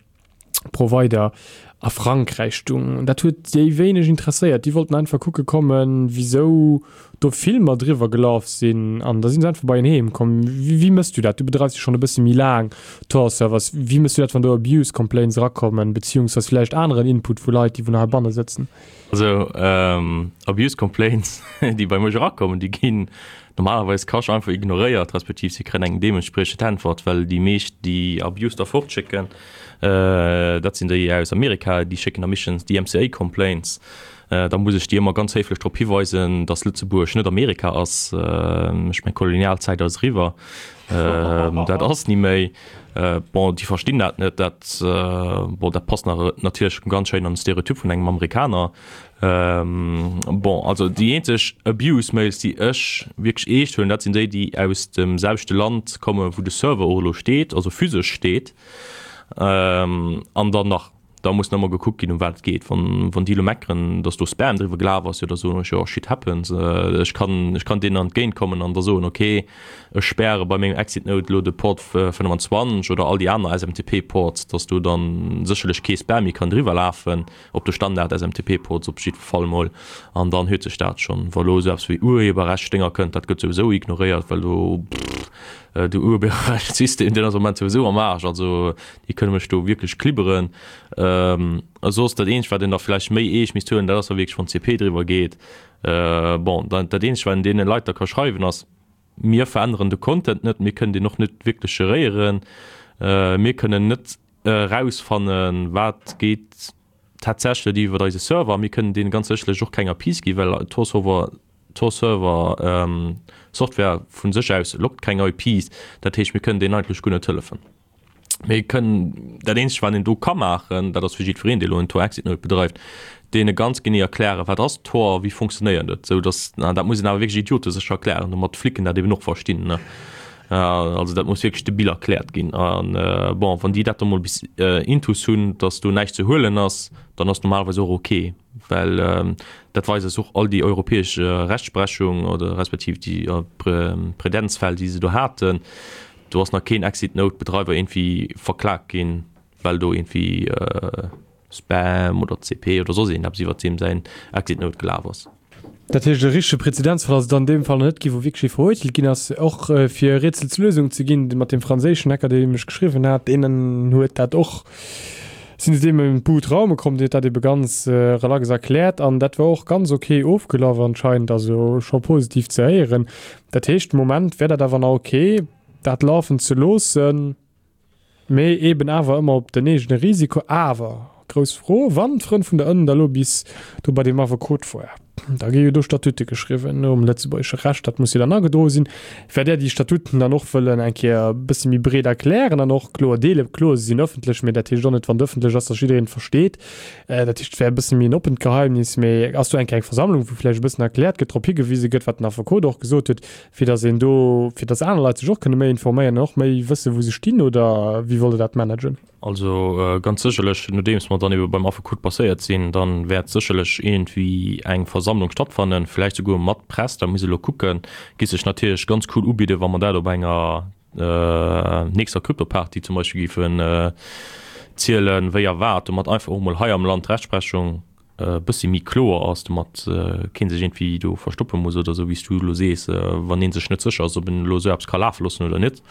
Provider a Frankräich stung. Dat huet déi wéineg interesséiert. Déi wollten einfach kucke kommen, wisou do Filmer driwwer gelaf sinn an da sinn se einfach bei en heem komm. Wéi mëss du dat? Du bedreifs jo schonn e bësse méi laang Tor-Servers. Wéi mëss du dat, wann do Abuse Complaints erakommen, beziehungsweise vläicht aneren Input vu Leit, déi vun heibanne sëtzen? Also Abuse Complaints, déi bei mech erakommen, déi ginn normalerweis cash einfach ignoréiert, respektiv si kréien eng deementspriechend Äntwert, well déi meescht, déi Abuse da fortschécken, dat sinn déi aus Amerika, déi schécken da meeschtens D M C A Complaints. Da muss ech déi ëmmer ganz héiflech drop hiweisen, dass Lëtzebuerg net Amerika ass. Ech mengen, d'Kolonialzäit ass eriwwer. Dat ass ni méi. Bon, déi verstinn dat net. Dat, bon, dat passt nach natierlech ganz schéin an de Stereotyp vun engem Amerikaner. Bon, also déi eenzeg Abuse-Mails, déi ech wierklech eescht huelen, dat sinn déi, déi aus dem selwechte Land kommen, wou de Server och elo steet, also physesch steet. An dann nach, da muss nach emol gekuckt ginn, ëm wat et geet. Wann, wann déi elo meckeren, datt do Spam driwwer gelaf ass, jo da soen ech, jo, shit happens. Ech kann, ech kann deenen entgéintkommen an da soen, okay, ech späre bei mengem Exit Node elo de Port fënnefenzwanzeg oder all déi aner S M T P-Ports, datt do dann sécherlech kee Spam méi kann driwwer lafen. Op de Standard S M T P-Ports op jiddwer Fall mol, an dann huet sech dat schonn. Wa lo esou eppes wéi Urheberrechtsdénger kënnt, dat gëtt souwisou ignoréiert, well do, pff, de Urheberrechtssystem, deen ass am Moment souwisou am Aarsch, also déi kënne mech do wierklech klibberen. A soss dat eenzegt, wat een da vläicht méi eescht misst huelen, dat ass da wierklech, wann C P driwwer geet. Bon, dat eenzegt, wat een deene Leit da ka schreiwen, ass, Mir veränneren de Content net, mir kënnen deen och net wierklech geréieren, mir kënnen net erausfannen, wat geet tatsächlech iwwer eise Server. Mir kënnen deene ganz sécherlech och keng A P Is ginn, well Tor-Server, Tor-Server Software vu sech aus loggt keng I Ps. Dat heescht, mir kënnen deenen eigentlech guer net hëllefen. Mir kënnen, dat Eenzegt, wat een do ka maachen, dat ass fir jiddwereen, dee elo en Tor-Exit-Node bedreift, deene ganz genee erklären, wat ass Tor, wéi funktionéiert et, sou dass, an dat muss een awer wierklech idiotesécher erklären, domat d'Flicken dat eben och verstinn, ne. Also dat muss wierklech de Bill erkläert ginn. An bon, wann déi dat da mol bis intus hunn, dass do näischt ze huelen ass, dann ass normalerweis och ok, well dat weist eis och all déi europäesch Rechtsprechung oder respektiv déi Präzedenzfäll, déi se do haten. Do ass nach keen Exit-Node-Bedreiwer iergendwéi verklagt ginn, well do iergendwéi Spam oder C P oder soss iergendeppes iwwert deem säin Exit-Node gelaf ass. Dat heescht, e richtege Präzedenzfall ass et an deem Fall nach net ginn, wou wierklech ee verurteelt ginn ass. Och fir e Rätsel zur Lösung ze ginn, mat deem franséischen Hacker, dee mech geschriwwen hat, deen huet dat och, sinn se deem im Boot Raume komm, dee huet dat ebe ganz relax erkläert an dat war och ganz ok ofgelaf anscheinend, also scho positiv ze héieren. Dat heescht, de Moment wär dat awer nach ok, dat lafen ze loossen, mee eben awer ëmmer op den eegene Risiko. Awer grouss Fro, wann d'Frënn vun der Ënn da lo bis do bei deem Affekot war, da gi jo do Statute geschriwwen nom lëtzebuergesche Recht, dat muss jo dann agedroe sinn. Wäert Där déi Statuten dann och wëllen eng Kéier e bësse méi breet erklären an och kloer deelen? Kloer, se sinn ëffentlech, mee dat heescht och net, wann et ëffentlech ass, datt jiddereen et versteet. Dat heescht, et wär e bësse méi en oppent Geheimnis. Mee ass do eng Kéier eng Versammlung, wou vläicht e bëssen erkläert gëtt, drop higewise gëtt, wat den Affekot och gesot huet, fir datt een do, fir datt aner Leit sech och kënne méi informéieren an och méi wëssen, wou se stinn, oder wéi wollt Der dat managen? Also ganz sécherlech, nodeems mer dann ebe beim Affekot passéiert sinn, dann wäert sécherlech iergendwéi eng Versammlung stattfannen, vläicht souguer mat Press, da muss elo kucken. Géif sech natierlech ganz cool ubidden, wa mer dat op enger nächster Krypto-Party zum Beispill géifen zielen, wéi a wat, domat einfach och mol hei am Land d'Rechtsprechung e bëssi méi kloer ass, domat kee sech iergendwéi do verstoppe muss oder esou, wéi s du elo sees, wann ee sech net sécher ass, ob en elo esou eppes ka lafe loossen oder net,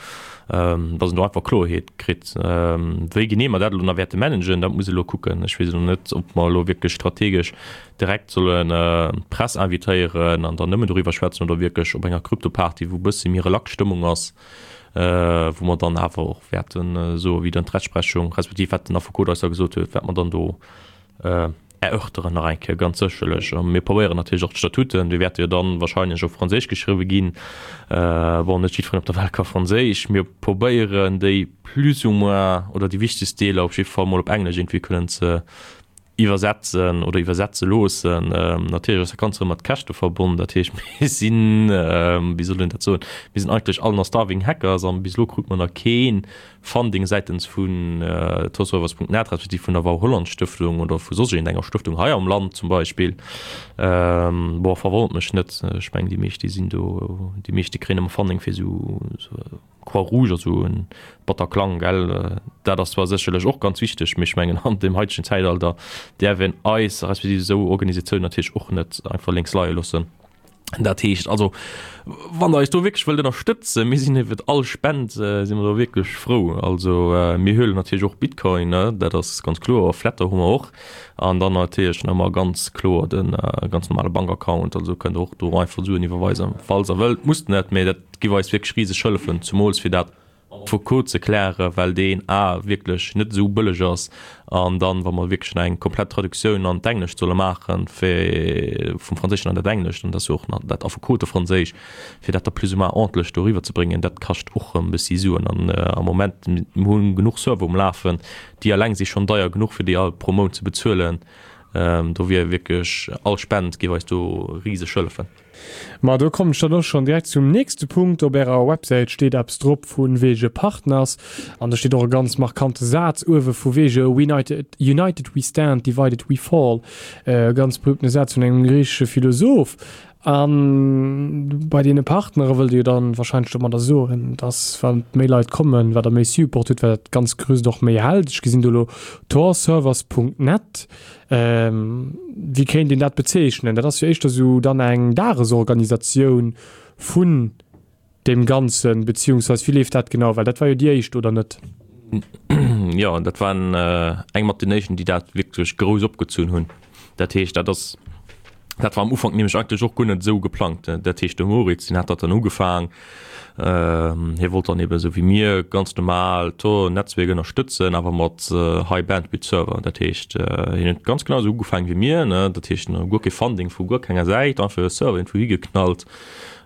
dass en do einfach Kloerheet kritt. Wéi genee mer dat elo nach wäerte managen, dat muss ee elo kucken. Ech weess elo net, ob mer elo wierklech strategesch direkt sollen d'Press invitéieren an dann nëmmen doriwwer schwätzen oder wierklech op enger Krypto-Party, wou e bëssi méi relax Stëmmung ass, wou mer dann awer och wäerte soen, wéi dann d'Rechtsprechung, respektiv wat den Affekot eis da gesot huet, wat mer dann do erörteren nach eng Kéier ganz sécherlech. A mir probéieren natierlech och d'Statuten, déi wäerte jo dann wahrscheinlech op Franséisch geschriwwe ginn. Bon, net jiddwereen op der Welt ka Franséisch. Mir probéieren déi plus ou moins oder déi wichtegst Deeler op jidde Fall mol op Englesch iergendwéi kënnen ze iwwersetzen oder iwwersetze loossen. Natierlech ass dat Ganzt erëm mat Käschte verbonnen. Dat heescht, mir sinn, wéi soll een dat soen, mir sinn eigentlech all nach starving hackers an bis elo krut mer nach kee Funding säitens vun Torservers punkt net, respektiv vun der Wau Holland Stëftung oder vu soss iergendenger Stëftung hei am Land zum Beispill. Bon, verwonnert mech net. Ech mengen, déi meescht, déi sinn do, déi meescht, déi kréien ëmmer Funding fir esou, esou Croix-Rouge, also en Bataclan, gell. Dat ass zwar sécherlech och ganz wichteg, mee ech mengen, an deem haitegen Zäitalter däerf een eis, respektiv esou Organisatiounen natierlech och net einfach lénks leie loossen. Dat heescht also, wann der eis do wierklech wëllt ënnerstëtzen, mir sinn iwwert all Spend si mer do wierklech frou. Also mir huelen natierlech och Bitcoin, ne, dat ass ganz kloer, Flattr hu mer och an dann natierlech nach ëmmer ganz kloer de ganz normale Bankaccount. Also kënnt der och do einfach Suen iwwerweisen, falls der wëllt. Musst net, mee dat giff eis wierklech riseg hëllefen, zumools fir dat Foucault ze klären, well deen A wierklech net esou bëlleg ass An dann, wa mer wierklech eng komplett Traduktioun an d'Englescht solle maachen, fir vum Franséischen an dat Englescht, an dat ass jo och nach dat Affekotefranséisch, fir dat da plus ou moins ordentlech do eriwwerzebréngen, dat kascht och erëm e bëssi Suen. An am Moment, mir hu genuch Server um Lafen, déi eleng si schonn deier genuch, fir déi all pro Mount ze bezuelen. Do wier wierklech all Spend géif eis do riseg hëllefen. Ma do kommen ech dann och schonn direkt zum nächste Punkt. Op Ärer Websäit steet eppes drop vu wege Partners an do steet och e ganz markante Saz uewe vu wege United, United we stand, divided we fall. E ganz berühmtene Saz vun engem griichesche Philosoph. A bei deene Partnere wëllt Dir jo dann wahrscheinlech domadder soen, dass wa méi Leit kommen, wat Der méi Support hutt, wat dat ganzt Gerüst och méi hält. Ech gesinn do elo torservers Punkt net. Wéi kéint een dat bezeechnen? Dat ass jo éischter esou dann eng Dagesorganisatioun vun deem Ganzen, beziehungsweis wéi leeft dat genau? Well dat war jo déi éischt, oder net? Jo, dat waren eng mat den éischten, déi dat wierklech grouss opgezunn hunn. Dat heescht, dat ass, dat war am Ufank nämlech eigentlech och guer net esou geplangt. Dat heescht, de Moritz, deen hat dat dann ugefaang, hie wollt dann eben esou wéi mir ganz normal d'Tor-Netzwierk ënnerstëtzen, awer mat High Bandwidth Server. Dat heescht, hien huet ganz genau esou ugefaang wéi mir, ne, dat heescht guer kee Funding vu guer kenger Säit, einfach e Server iergendwou higeknallt,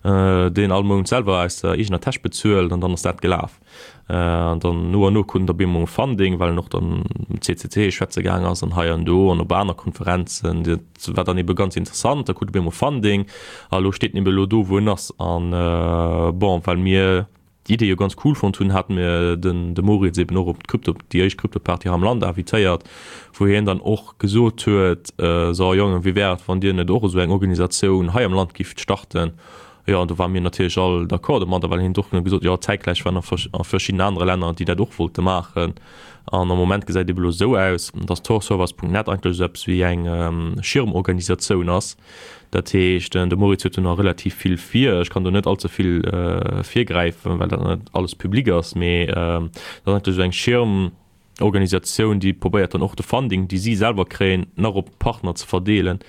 deen all Mount selwer aus der eegener Täsch bezuelt an dann ass dat gelaf. An dann no an no krut en da bemol Funding, well en och dann um C C C schwätze gaang ass an hei an do an op aner Konferenzen. Dat war dann ebe ganz interessant. Da krut e bemol Funding a lo steet en ebe lo do, wou en ass. An bon, well mir d'Idee jo ganz cool fonnt hunn, hate mir den de Moritz eben och op d'Crypto, déi éischt Crypto-Party hei am Land invitéiert, wou hien dann och gesot huet, So Jongen, wéi wär et, wann dir net och esou eng Organisatioun hei am Land gifft starten? Jo, an do ware mir natierlech all d'accord domadder, well hien huet och gesot, jo, zäitgläich waren a verschidden anere Länner, déi dat och wollte maachen. An am Moment gesäit et ebe lo esou aus, dass torservers Punkt net eigentlech esou eppes wéi eng Schirmorganisatioun ass. Dat heescht, de Moritz huet do nach relativ vill vir. Ech kann do net allze vill virgräifen, well dat nach net alles public ass, mee dat ass eigentlech esou eng Schirm. Organisatioun, déi probéiert dann och de Funding, déi si selwer kréien, nach op d'Partner ze verdeelen.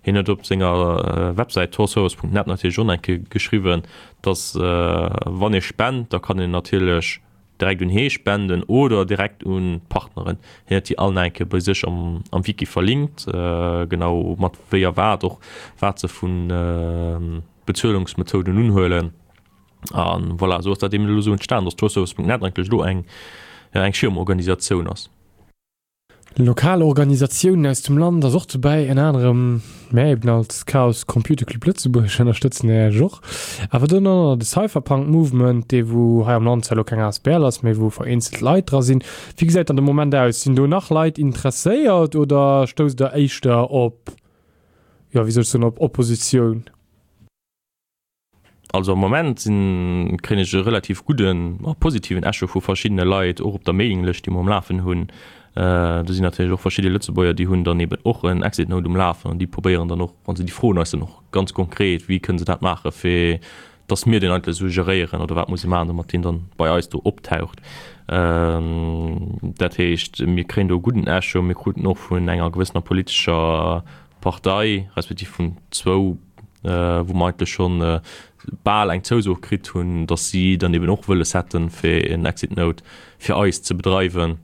Hien huet op senger Websäit torservice Punkt net natierlech och nach eng Kéier geschriwwen, dass wann ee spent, da kann een natierlech direkt un hee spenden oder direkt un d'Partneren. Hien huet déi all nach eng Kéier bei sech am Wiki verlinkt, genau mat wéi a wat och, wat se vu Bezuelungsmethoden unhuelen. A voilà, esou ass dat eben elo esou entstanen, dass Tourservice Punkt net eigentlech elo eng, eng Schirmorganisatioun ass. Lokal Organisatiounen aus dem Land ass och dobäi, ënner anerem mär eben als Chaos Computer Club Lëtzebuerg ënnerstëtzen Iech och. Awer dann och nach de Cypherpunk Movement, dee wou hei am Land zwar elo keng asbl ass, mee wou vereenzelt Leit dra sinn. Wéi gesäit dann de Moment aus? Sinn do nach Leit interesséiert oder stousst der éischter op, jo wéi soll ech soen, op Oppositioun? Also am Moment sinn, kréien ech e relativ gudden a positiven Echo vu verschiddene Leit, och op der Mailinglëscht, déi mer um Lafen hunn. Do sinn natierlech och verschidde Lëtzebuerger, déi hunn dann eben och en Exit Node um Lafen an déi probéieren dann och, also déi froen eis dann och ganz konkret, wéi kënne se dat maachen, fir dass mir deen eigentlech esou geréieren oder wat muss ee maachen, domat deen dann bei eis do optaucht. Dat heescht, mir kréien do e gudden Echo. Mir kruten och vun enger gewëssener politescher Partei, respektiv vun zwou, wou mer eigentlech scho bal eng Zouso kritt hunn, datt si dann eben och wëlles hätten, fir en Exit Node fir eis ze bedreiwen.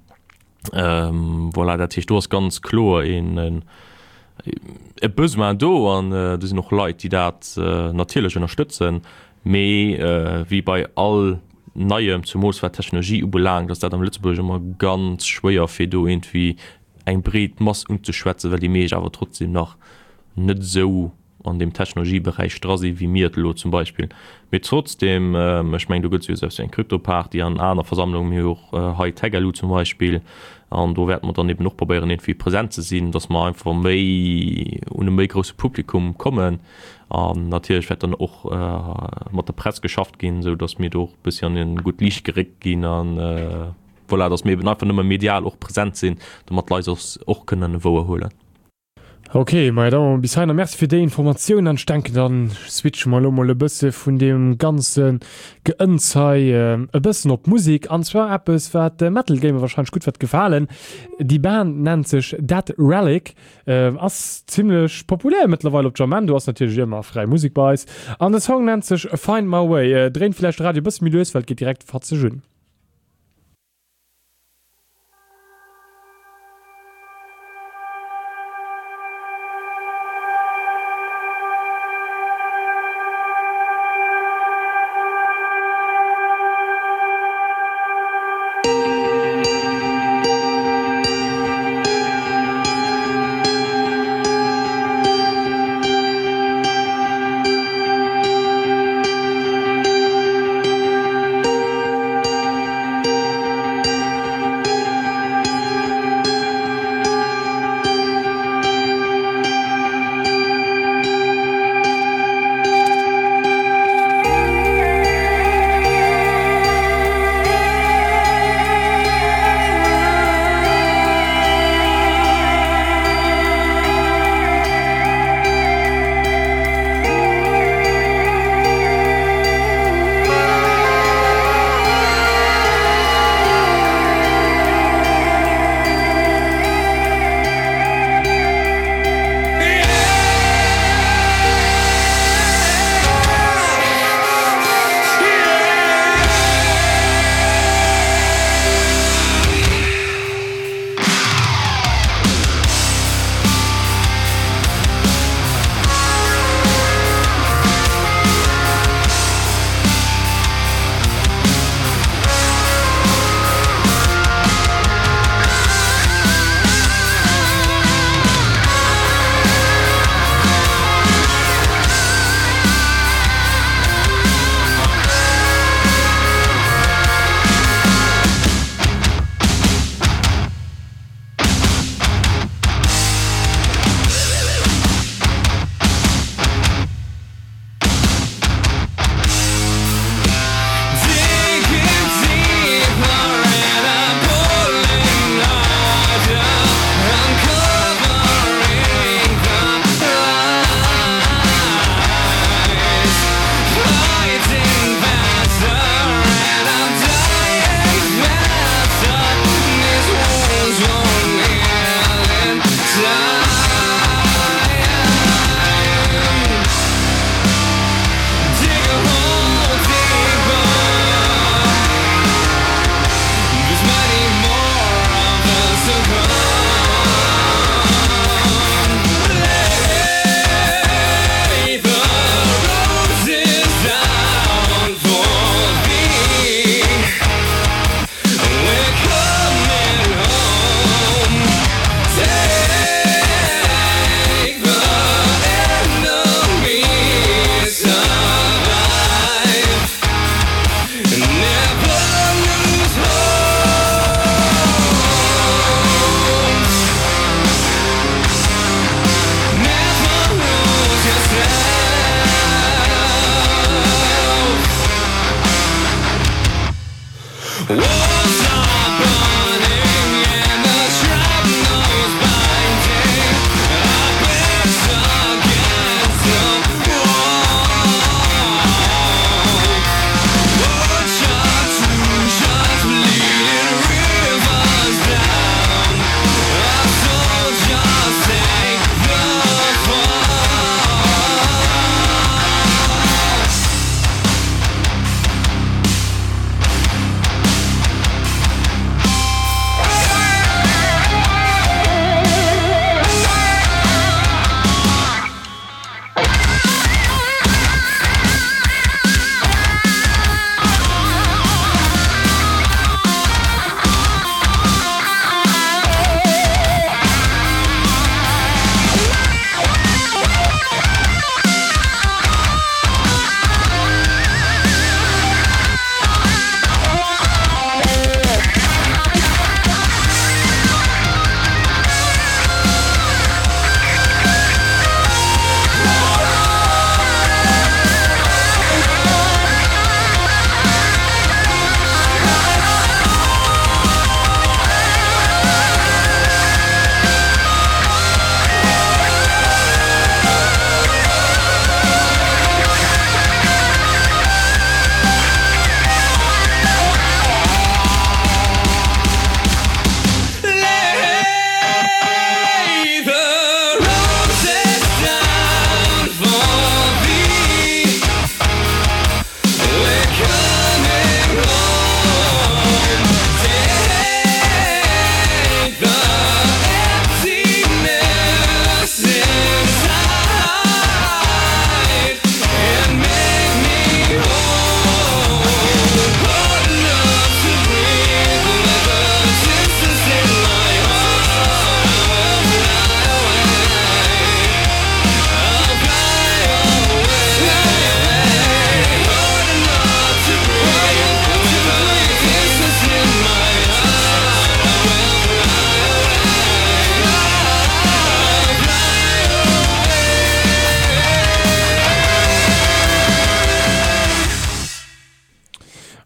Voilà, dat heescht, do ass ganz kloer een e Besoin do an do sinn och Leit, déi dat natierlech ënnerstëtzen. Mee wéi bei all Neiem, zumools wat d'Technologie ubelaangt, ass dat am Lëtzebuerg ëmmer ganz schwéier, fir do iergendwéi eng breet Mass unzeschwätzen, well déi meescht awer trotzdem nach net esou an deem Technologieberäich dra si wéi mir et elo zum Beispill. Mee trotzdem, ech mengen, do gëtt et jo esou eppes wéi eng Kryptoparty an aner Versammlungen, mir hu jo och hei TechLU zum Beispill, an do wäerte mer dann eben och probéieren iergendwéi present ze sinn, datt mer einfach méi un e méi grousse Publikum kommen. An natierlech wäert dann och mat der Press geschafft ginn, esou datt mir do och e bëssi an e gutt Liicht geréckt ginn an, Voilà, dass mir eben einfach nëmme medial och present sinn, domat d'Leit eis och kënnen wouerhuelen. Ok, maja da bis heihinner. Merci fir déi Informatioun an ech denken dann switche mer elo mol e bësse vun deem ganze Geënns hei e bëssen op d'Musek an zwar eppes wat de Metal Gamer wahrscheinlech gutt wäert gefalen. Déi Band nennt sech Dead Relic, ass zimlech populär mëttlerweil op Jamendo, ass natierlech ëmmer fräi Musek bei eis an de Song nennt sech Find My Way. Dréint villäicht de Radio e bësse méi lues, well et geet direkt fatzeg un.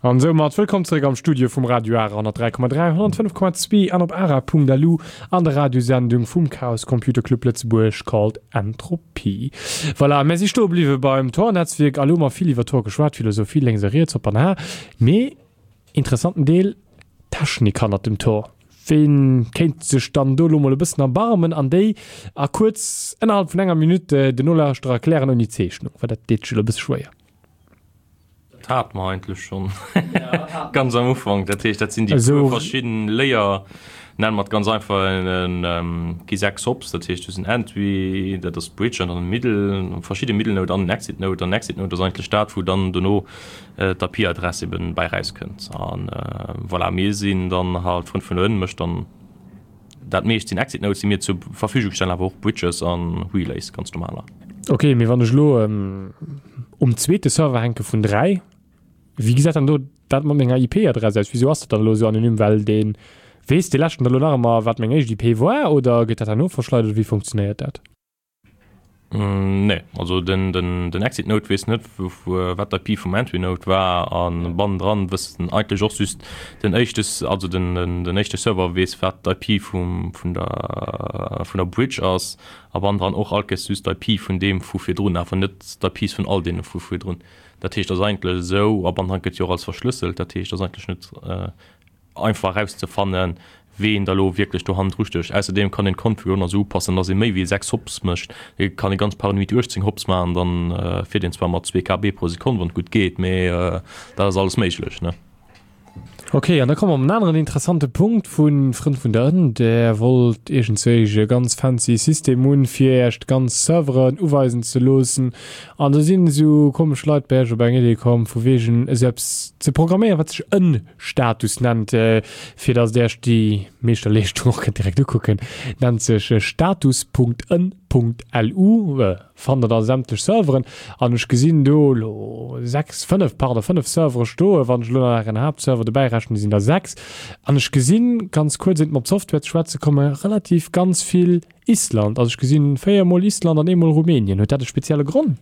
An soumat wëllkomm zeréck am Studio vum Radio Ara honnertdräi Komma dräi, honnertfënnef Komma zwee an op ara.lu an der Radiosendung vum Chaos Computer Club Lëtzebuerg called Entropie. Voilà, mär si stoe bliwwe beim Tor-Netzwierk a lo hu mer vill iwwer Tor geschwat, Philosophie lénks a riets, hopp an ha. Mee interessanten Deel, d'Technik hannert dem Tor. Ween kéint sech dann do lo mol e bëssen erbarmen an déi a kuerz ënnerhalb vun enger Minutt den Nolauschterer erklären ouni Zeechnung, well dat deet sech elo e bësse schwéier. Dat hate mer eigentlech schonn ganz am Ufank. Dat heescht, dat sinn déi puer verschidden Layer, nenne mer et ganz einfach, gi sechs Hops. Dat heescht, du hues en Entry, dat ass d'Bridge an dann en Middle, verschidde Middle Node an en Exit Node. An den Exit Node ass eigentlech dat, wou dann dono d'I P-Adress eben bäi rauskënnt. An voilà, mir sinn dann halt, Frënn vun der Ënn mécht dann dat meescht sinn Exit Nodes, déi mir zur Verfügung stellen, awer och Bridges an Relays, ganz normaler. Ok, mee wann ech elo um zweete Server hänke vun dräi, wéi gesäit dann do dat mat menger I P-Adress aus? Wisou ass dat dann elo esou anonym? Well dee weess dee leschten da elo nach ëmmer wat meng éischt I P war oder gëtt dat herno verschleidert oder wéi funktionéiert dat? Nee, also den, den, den Exit Node weess net wat d'I P vum Entry Node war an bannendran wëssen eigentlech och just den éischte, also den, den, den éischte Server weess wat d'I P vum, vun der, vun der Bridge ass a bannendran och all Kéiers just d'I P vun deem vu virdrun, awer net d'I Ps vun all deene vu virdrun. Dat heescht ass eigentlech esou a bannendran gëtt jo och alles verschlësselt, dat heescht ass eigentlech net einfach erauszefannen, ween da lo wierklech do hannendru stécht. Ausserdeem kann een d'Config och nach esou upassen, dass ee méi wéi sechs Hops mécht. Et kann ee ganz paranoid uechtzéng Hops maachen, dann fiert een zwar mat zwee K B pro Sekonn, wann et gutt geet, mee dat ass alles méiglech, ne? Ok, an da komme mer op en aneren interessante Punkt vu Frënn vun der Ënn. Der wollt iergendzwéi e ganz fancy System hunn, fir Iech d'ganz Serveren uweisen ze loossen. An do sinn esou komesch Leit bei Iech op eng Idee komm, vu wegen esou eppes ze programméieren, wat sech Ënn-Status nennt, fir datt Dir Iech déi Meeschterleeschtung och kënnt direkt ukucken. Nennt sech status Punkt ënn Punkt lu, fannt Der da sämtlech Serveren. An ech gesinn do elo sechs, fënnef, pardon, fënnef Servere stoen. Wann ech elo nach Ären Haaptserver dobäi rechnen, sinn der sechs. An ech gesinn, ganz kuerz, éiert mer op d'Software ze schwätze kommen, relativ ganz vill Island. Also ech gesinn véier mol Island an eemol Rumänien. Huet dat e spezielle Gronn?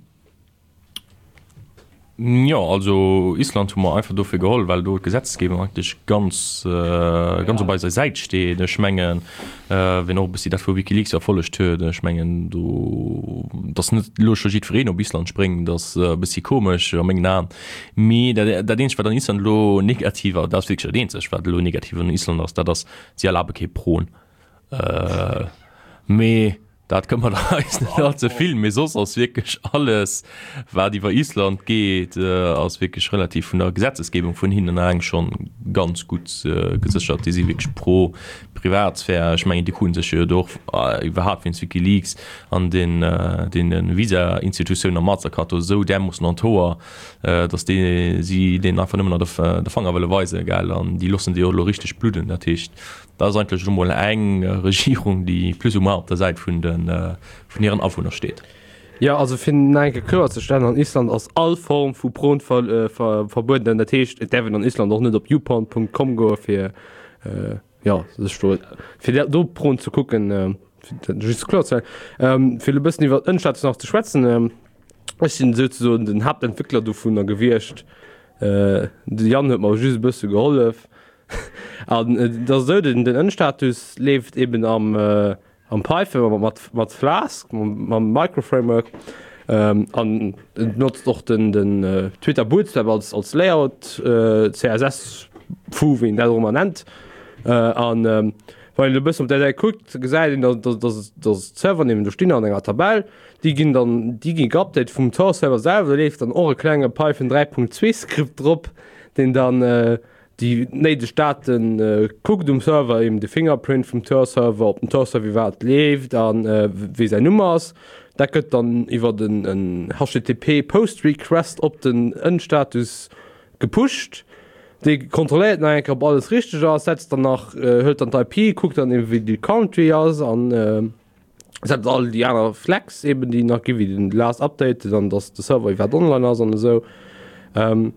Jo, also Island hu mer einfach dofir geholl, well do d'Gesetzgebung eigentlech ganz, ganz op eiser Säit steet. Ech mengen, wien och e bëssi dat vu WikiLeaks verfollegt huet, ech mengen do, datt net elo scho jiddwereen op Island spréngt, ass e bëssi komesch a mengen Aen. Mee dat, dat eenzegt, wat an Island elo negativ ass, dat ass wierklech dat eenzegt, wat elo negativ un Island ass, dat ass, si erlabe kee Porn. Mee dat këmmert eis net all ze vill. Mee soss ass wierklech alles, wat iwwer Island geet, ass wierklech relativ vun der Gesetzesgebung vun hinnen eleng schonn ganz gutt geséchert. Déi si wierklech pro Privatsphär. Ech mengen, déi kruten sech jo do och iwwerhaapt wéinst WikiLeaks an den deene Visa-Institutiounen a Mastercard do esou därmoossen an d'Hoer, datt déi si deenen einfach nëmmen nach de Fanger wëlle weisen, gell. An déi loossen déi och elo richteg bludden. Dat heescht, Dat ass eigentlech elo mol eng Regierung, déi plus ou moins op der Säit vun de, vun hiren Awunner steet. Jo, also fir nach eng Kéier kloerzestellen, an Island ass all Form vu Porn verbueden. Dat heescht, et däerf een an Island och net op youporn Punkt com goe fir, jo, sech do, fir do Porn ze kucken, fir dat just kloerzestellen. Fir elo e bëssen iwwer Ënstatus nach ze schwätzen, Ech sinn souzesoen den Haaptentwéckler dovunner gewiescht. De Yann huet mer just e bësse gehollef. An et ass esou, den Ënnstatus leeft eben am am Python mat mat Flask, mam Microframework an et notzt och den den Twitter Bootstrap als als Layout, C S S Foo wéi een dat och ëmmer nennt. An wann een e bëssen op där Säit kuckt, gesäit een, datt datt datt d'Serveren eben do stinn an enger Tabell. Déi ginn dann déi gi geupdate vum Tor-Server selwer. Do leeft dann och e klenge Python dräi Punkt zwee Skript drop, deen dann déi néideg Date kuckt um Server, eben de Fingerprint vum Tor-Server, ob den Tor-Server iwwerhaapt leeft a wéi säin Numm ass. Dat gëtt dann iwwer en H T T P Post Request op den Ënnstatus gepusht. Dee kontrolléiert nach eng Kéier, ob alles richteg ass, setzt dann nach, hëlt dann d'I P, kuckt dann eben, wéi déi Country ass an setzt all déi aner Flags eben, déi nach gi wéi den Last Update, dann dass de Server iwwerhaapt online ass an esou. An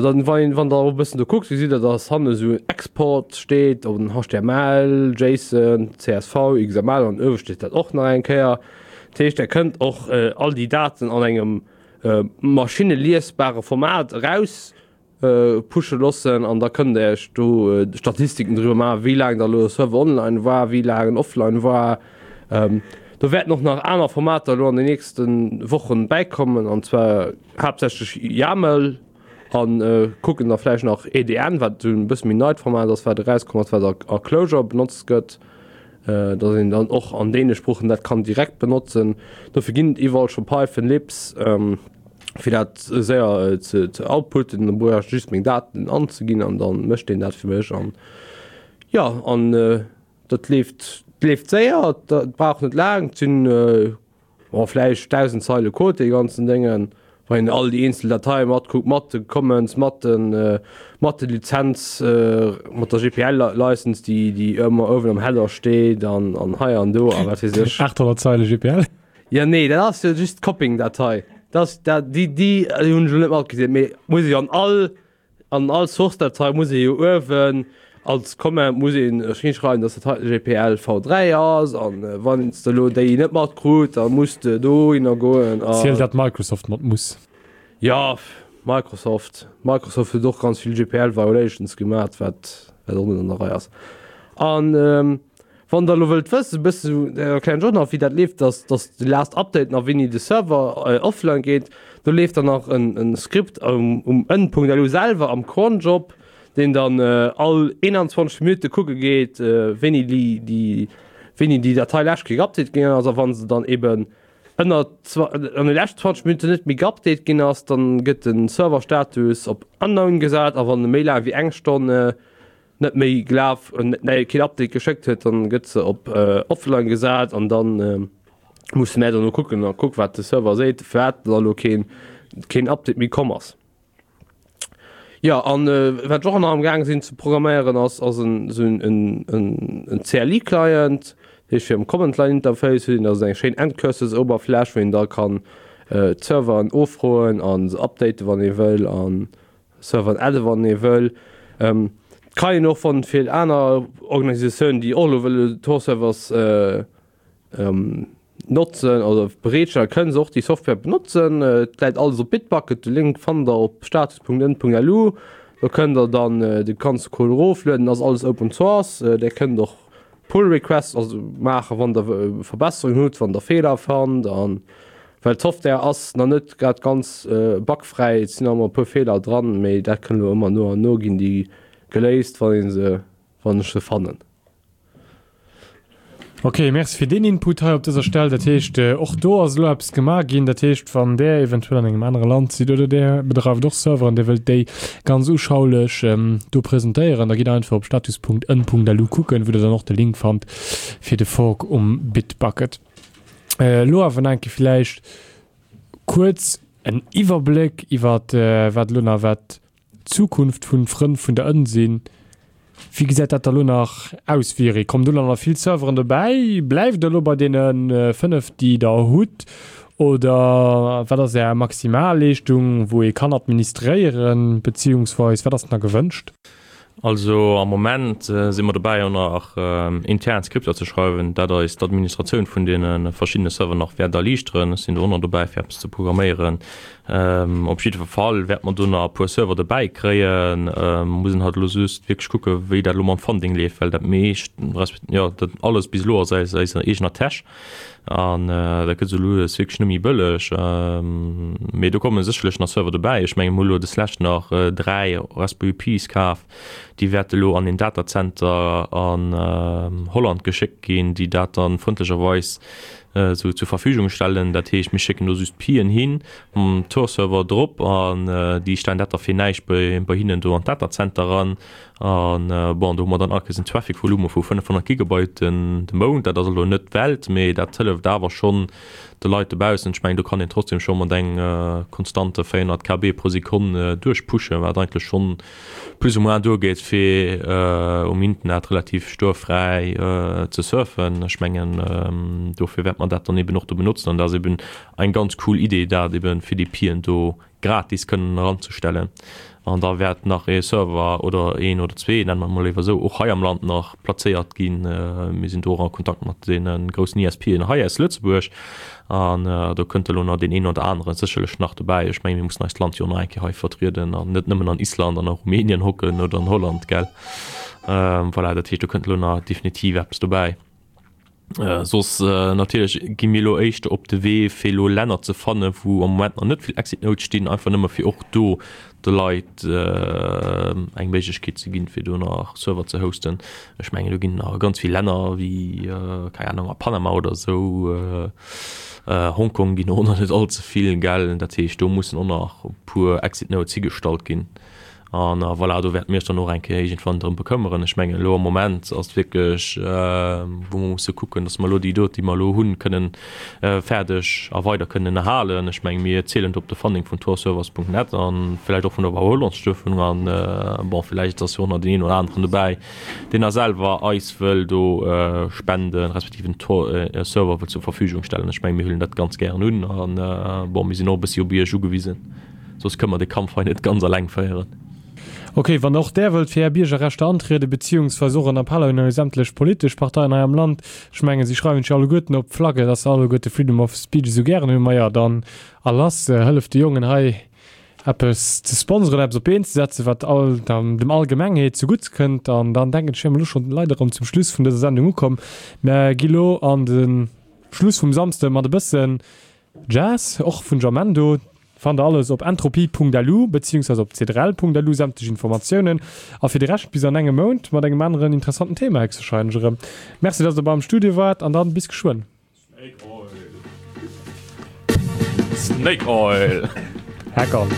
dann, wann een, wann der och e bëssen do kuckt, gesitt der, dass hanne sou Export steet, op den H T M L, JSON, C S V, X M L an uewe steet dat och nach eng Kéier. Dat heescht, der kënnt och all déi Daten an engem maschineliesbare Format eraus pushe loossen an da kënnt der iech do Statistiken driwwer maachen, wéi laang da elo e Server online war, wéi laang en offline war. Do wäerten och nach aner Formater elo an den nächste Wochen bäikommen, an zwar haaptsächlech YAML an kucken da vläicht nach E D N, wat esou e bësse méi neit Format ass, wat erauskomm ass, wat a Clojure benotzt gëtt, datt een dann och an deene Sproochen dat kann direkt benotzen. Dofir ginn et iwwerall scho Python Libs, fir dat séier ze ze outputten. Da brauch ech just meng Daten anzeginn an da mécht deen dat fir mech. An jo, an dat leeft leeft séier, dat brauch net laang, et sinn bon vläicht dausend Zeile Code dee ganzen Déngen, wann een all déi eenzel Dateie matkuckt, mat de Commons, mat de mat de Lizenz, mat der G P L License, déi déi ëmmer uewen am Header steet an an hei an do a wat weess ech. achthonnert Zeile G P L? Jo nee, dat ass jo just d'Copying-Datei, dat ass dat déi déi hunn ech elo net matgezielt, mee muss ech an all An all Source-Datei muss ee jo uewen als Comment muss een hinschreiwen, dass dat hei G P L V dräi ass. An wann s de elo déi net matkrut, da muss de dohinner goen a. Ziel dat Microsoft mat muss. Jo, Microsoft. Microsoft huet och ganz vill G P L Violations gemat, wat wat och net an der Rei ass. An Wann der elo wëllt wëssen, e bëssen esou, erklären ech och nach wéi dat leeft, dass dass de last Update nach wéini de Server offline geet, do leeft dann nach en en Script um um Ënn.lu selwer am Cronjob, deen dann all eenanzwanzeg Minutte kucke geet, wéini déi déi wéini déi Datei lescht Kéier geupdate ginn ass a wann se dann eben ënner an de leschten zwanzeg Minutten net méi geupdate ginn ass, dann gëtt de Serverstatus op unknown gesat a wann e méi laang wéi eng Stonn net méi gelaf, nee, keen Update geschéckt huet, dann gëtt se op offline gesat an dann musse mär dono kucken a kuck wat de Server seet, firwat da lo keen keen Update méi komm ass. Jo an wat ech och nach am gaang sinn ze programméieren ass ass en esou en en en C L I Client, dat heescht fir am Command Line Interface huet een da esou eng schéin Ncurses Oberfläch wou een da kann d'Serveren offroen an se updaten wann ee wëll an Serveren adde wann ee wëll. Et kann een och wann fir aner Organisatiounen déi och elo wëlle Tor Servers notzen oder bereetstellen, kënne se och déi Software benotzen. Et läit alles op Bitbucket, de Link fannt der op status punkt ënn punkt lu. Do kënnt der dann de ganze Code eroflueden, ass alles Open Source. Där kënnt och Pull Requests also maachen, wann der Verbesserungen hutt, wann der Feeler fannt. An well d'Software ass nach net grad ganz bugfräi, et sinn nach ëmmer e puer Feeler dran, mee dat kënnt elo ëmmer no an no ginn déi geléist, wann ee se, wann ech se fannen. Ok, Merci fir deen Input hei op dëser Stell. Dat heescht, och do ass elo eppes gemaach ginn. Dat heescht, wann Der eventuell an engem anere Land sidd oder Der bedreift och Serveren, Dir wëllt déi ganz uschaulech do presentéieren, da gitt einfach op status punkt ën punkt lu kucken, wou Der dann och de Link fannt fir de Fork um Bitbucket. Elo awer nach eng Kéier villäicht kuerz en Iwwerbléck iwwer wat elo nach wat d'Zukunft vun Frënn vun der Ënn sinn. Wéi gesäit dat da lo nach aus, Viry? Kommen do dann nach vill Serveren dobäi? Bleift der elo bei deene fënnef, déi der hutt? Oder wat ass Är Maximalleeschtung, wou ee kann administréieren, beziehungsweis wat ass nach gewënscht? Also am Moment si mer dobäi och nach intern Skripter ze schreiwen, dat eis d'Administratioun vun deene verschiddene Server nach wäert erliichteren. Ech sinn do och nach dobäi fir eppes ze programméieren. Op jiddwer Fall wäerte mer do nach e puer Server dobäi kréien. Mer mussen halt elo just wierklech kucke wéi dat elo mam Funding leeft, well dat meescht, resp. Jo dat alles bis elo ass aus eiser eegener Täsch an dat gëtt esou lues wierklech net méi bëlleg. Mee do komme sécherlech nach Server dobäi. Ech menge mer hu elo deslescht nach dräi Raspberry Pis kaf, déi wäerte elo an een Datacenter an Holland geschéckt ginn, déi dat dann frëndlecherweis esou zur Verfügung stellen. Dat heescht, mir schécken do just d'Pien hin, mam Tor-Server drop, an déi stellen dat da fir näischt bei bei hinnen do an d'Datacenter eran. An bon, do hu mer dann all Kéiers en Traffic-Volume vu fënnefhonnert Gigabyte den de Mount. Dat ass elo net d'Welt, mee dat hëlleft awer schonn de Leit dobaussen. Ech mengen, do kann een trotzdem scho mat engem konstante véierhonnert K B pro Sekonn duerchpushen, wat eigentlech schonn plus ou moins duergeet, fir um Internet relativ stuerfräi ze surfen. Ech mengen, dofir wäert mer dat dann eben och do benotzen. An dat ass eben eng ganz cool Idee, dat eben fir déi Pien do gratis kënnen eranzestellen. An da wäert nach ee Server oder een oder zwee, nenne mer emol léiwer esou, och hei am Land nach plazéiert ginn. Mir sinn do och a Kontakt mat deene groussen I S P'en hei aus Lëtzebuerg. An do kënnt elo nach deen een oder anere sécherlech nach dobäi. Ech mengen, mir mussen eist Land jo och nach eng Kéier hei vertrieden an net nëmmen an Island an a Rumänien hocken oder an Holland, gell? Voilà, dat heescht, do kënnt elo nach definitiv eppes dobäi. Soss natierlech gi mir elo éischter op de Wee, fir elo Länner ze fannen, wou am Moment nach net vill Exit Nodes stinn, einfach nëmme fir och do de Leit eng Méiglechkeet ze ginn, fir do nach Server ze hosten. Ech mengen, do ginn nach ganz vill Länner wéi, keng Ahnung, a Panama oder esou, Hongkong ginn och nach net all ze vill, gell. Dat heescht, do mussen och nach e puer Exit Nodes higestallt ginn. An voilà, do wäerte mir eis dann och eng Kéier iergendwann drëm bekëmmeren. Ech mengen, elo am Moment ass et wierklech, wou mer musse kucken, datt mer elo déi do, déi mer elo hunn, kënnen fäerdeg a weider kënnen erhalen. Ech menge mir zielen do op de Funding vun torservers punkt net a vläicht och vun der Wau-Holland-Stëftung. An bon, vläicht ass jo och nach deen een oder aneren dobäi, deen da selwer eis wëll do spenden, respektiv en Tor, e Server wëll zur Verfügung stellen. Ech menge mir huelen dat ganz gären un. An bon, mir sinn och e bëssi op Iech ugewisen. Soss kënne mer de Kampf hei net ganz alleng féieren. Ok, wann och Där wëllt fir Är Biergerrechter antrieden, beziehungsweise och en Appell un eis sämtlech politesch Parteien hei am Land, ech mengen, si schreiwen sech jo alleguerten op d'Flagge, dass se alleguerte Freedom of Speech esou gären hunn, maja, dann a lass, hëlleft de Jongen hei eppes ze sponsoren, eppes op d'Been ze setzen, wat all, dem Allgemengheet zegutts kënnt. An dann denken ech, wier mer elo schonn leider erëm zum Schluss vun dëser Sendung ukomm. Mer gi lo an de Schluss vum Samsde mat e bëssen Jazz, och vun Jamendo. Fannt der alles op entropie Punkt L U beziehungsweise op c drei L Punkt L U sämtlech Informatiounen. A fir de Rescht bis an engem Mount mat engem aneren interessanten Thema héchstwahrscheinlech erëm. Merci, dass der bei am Studio waart an dann bis geschwënn. Snake Oil! Hack on!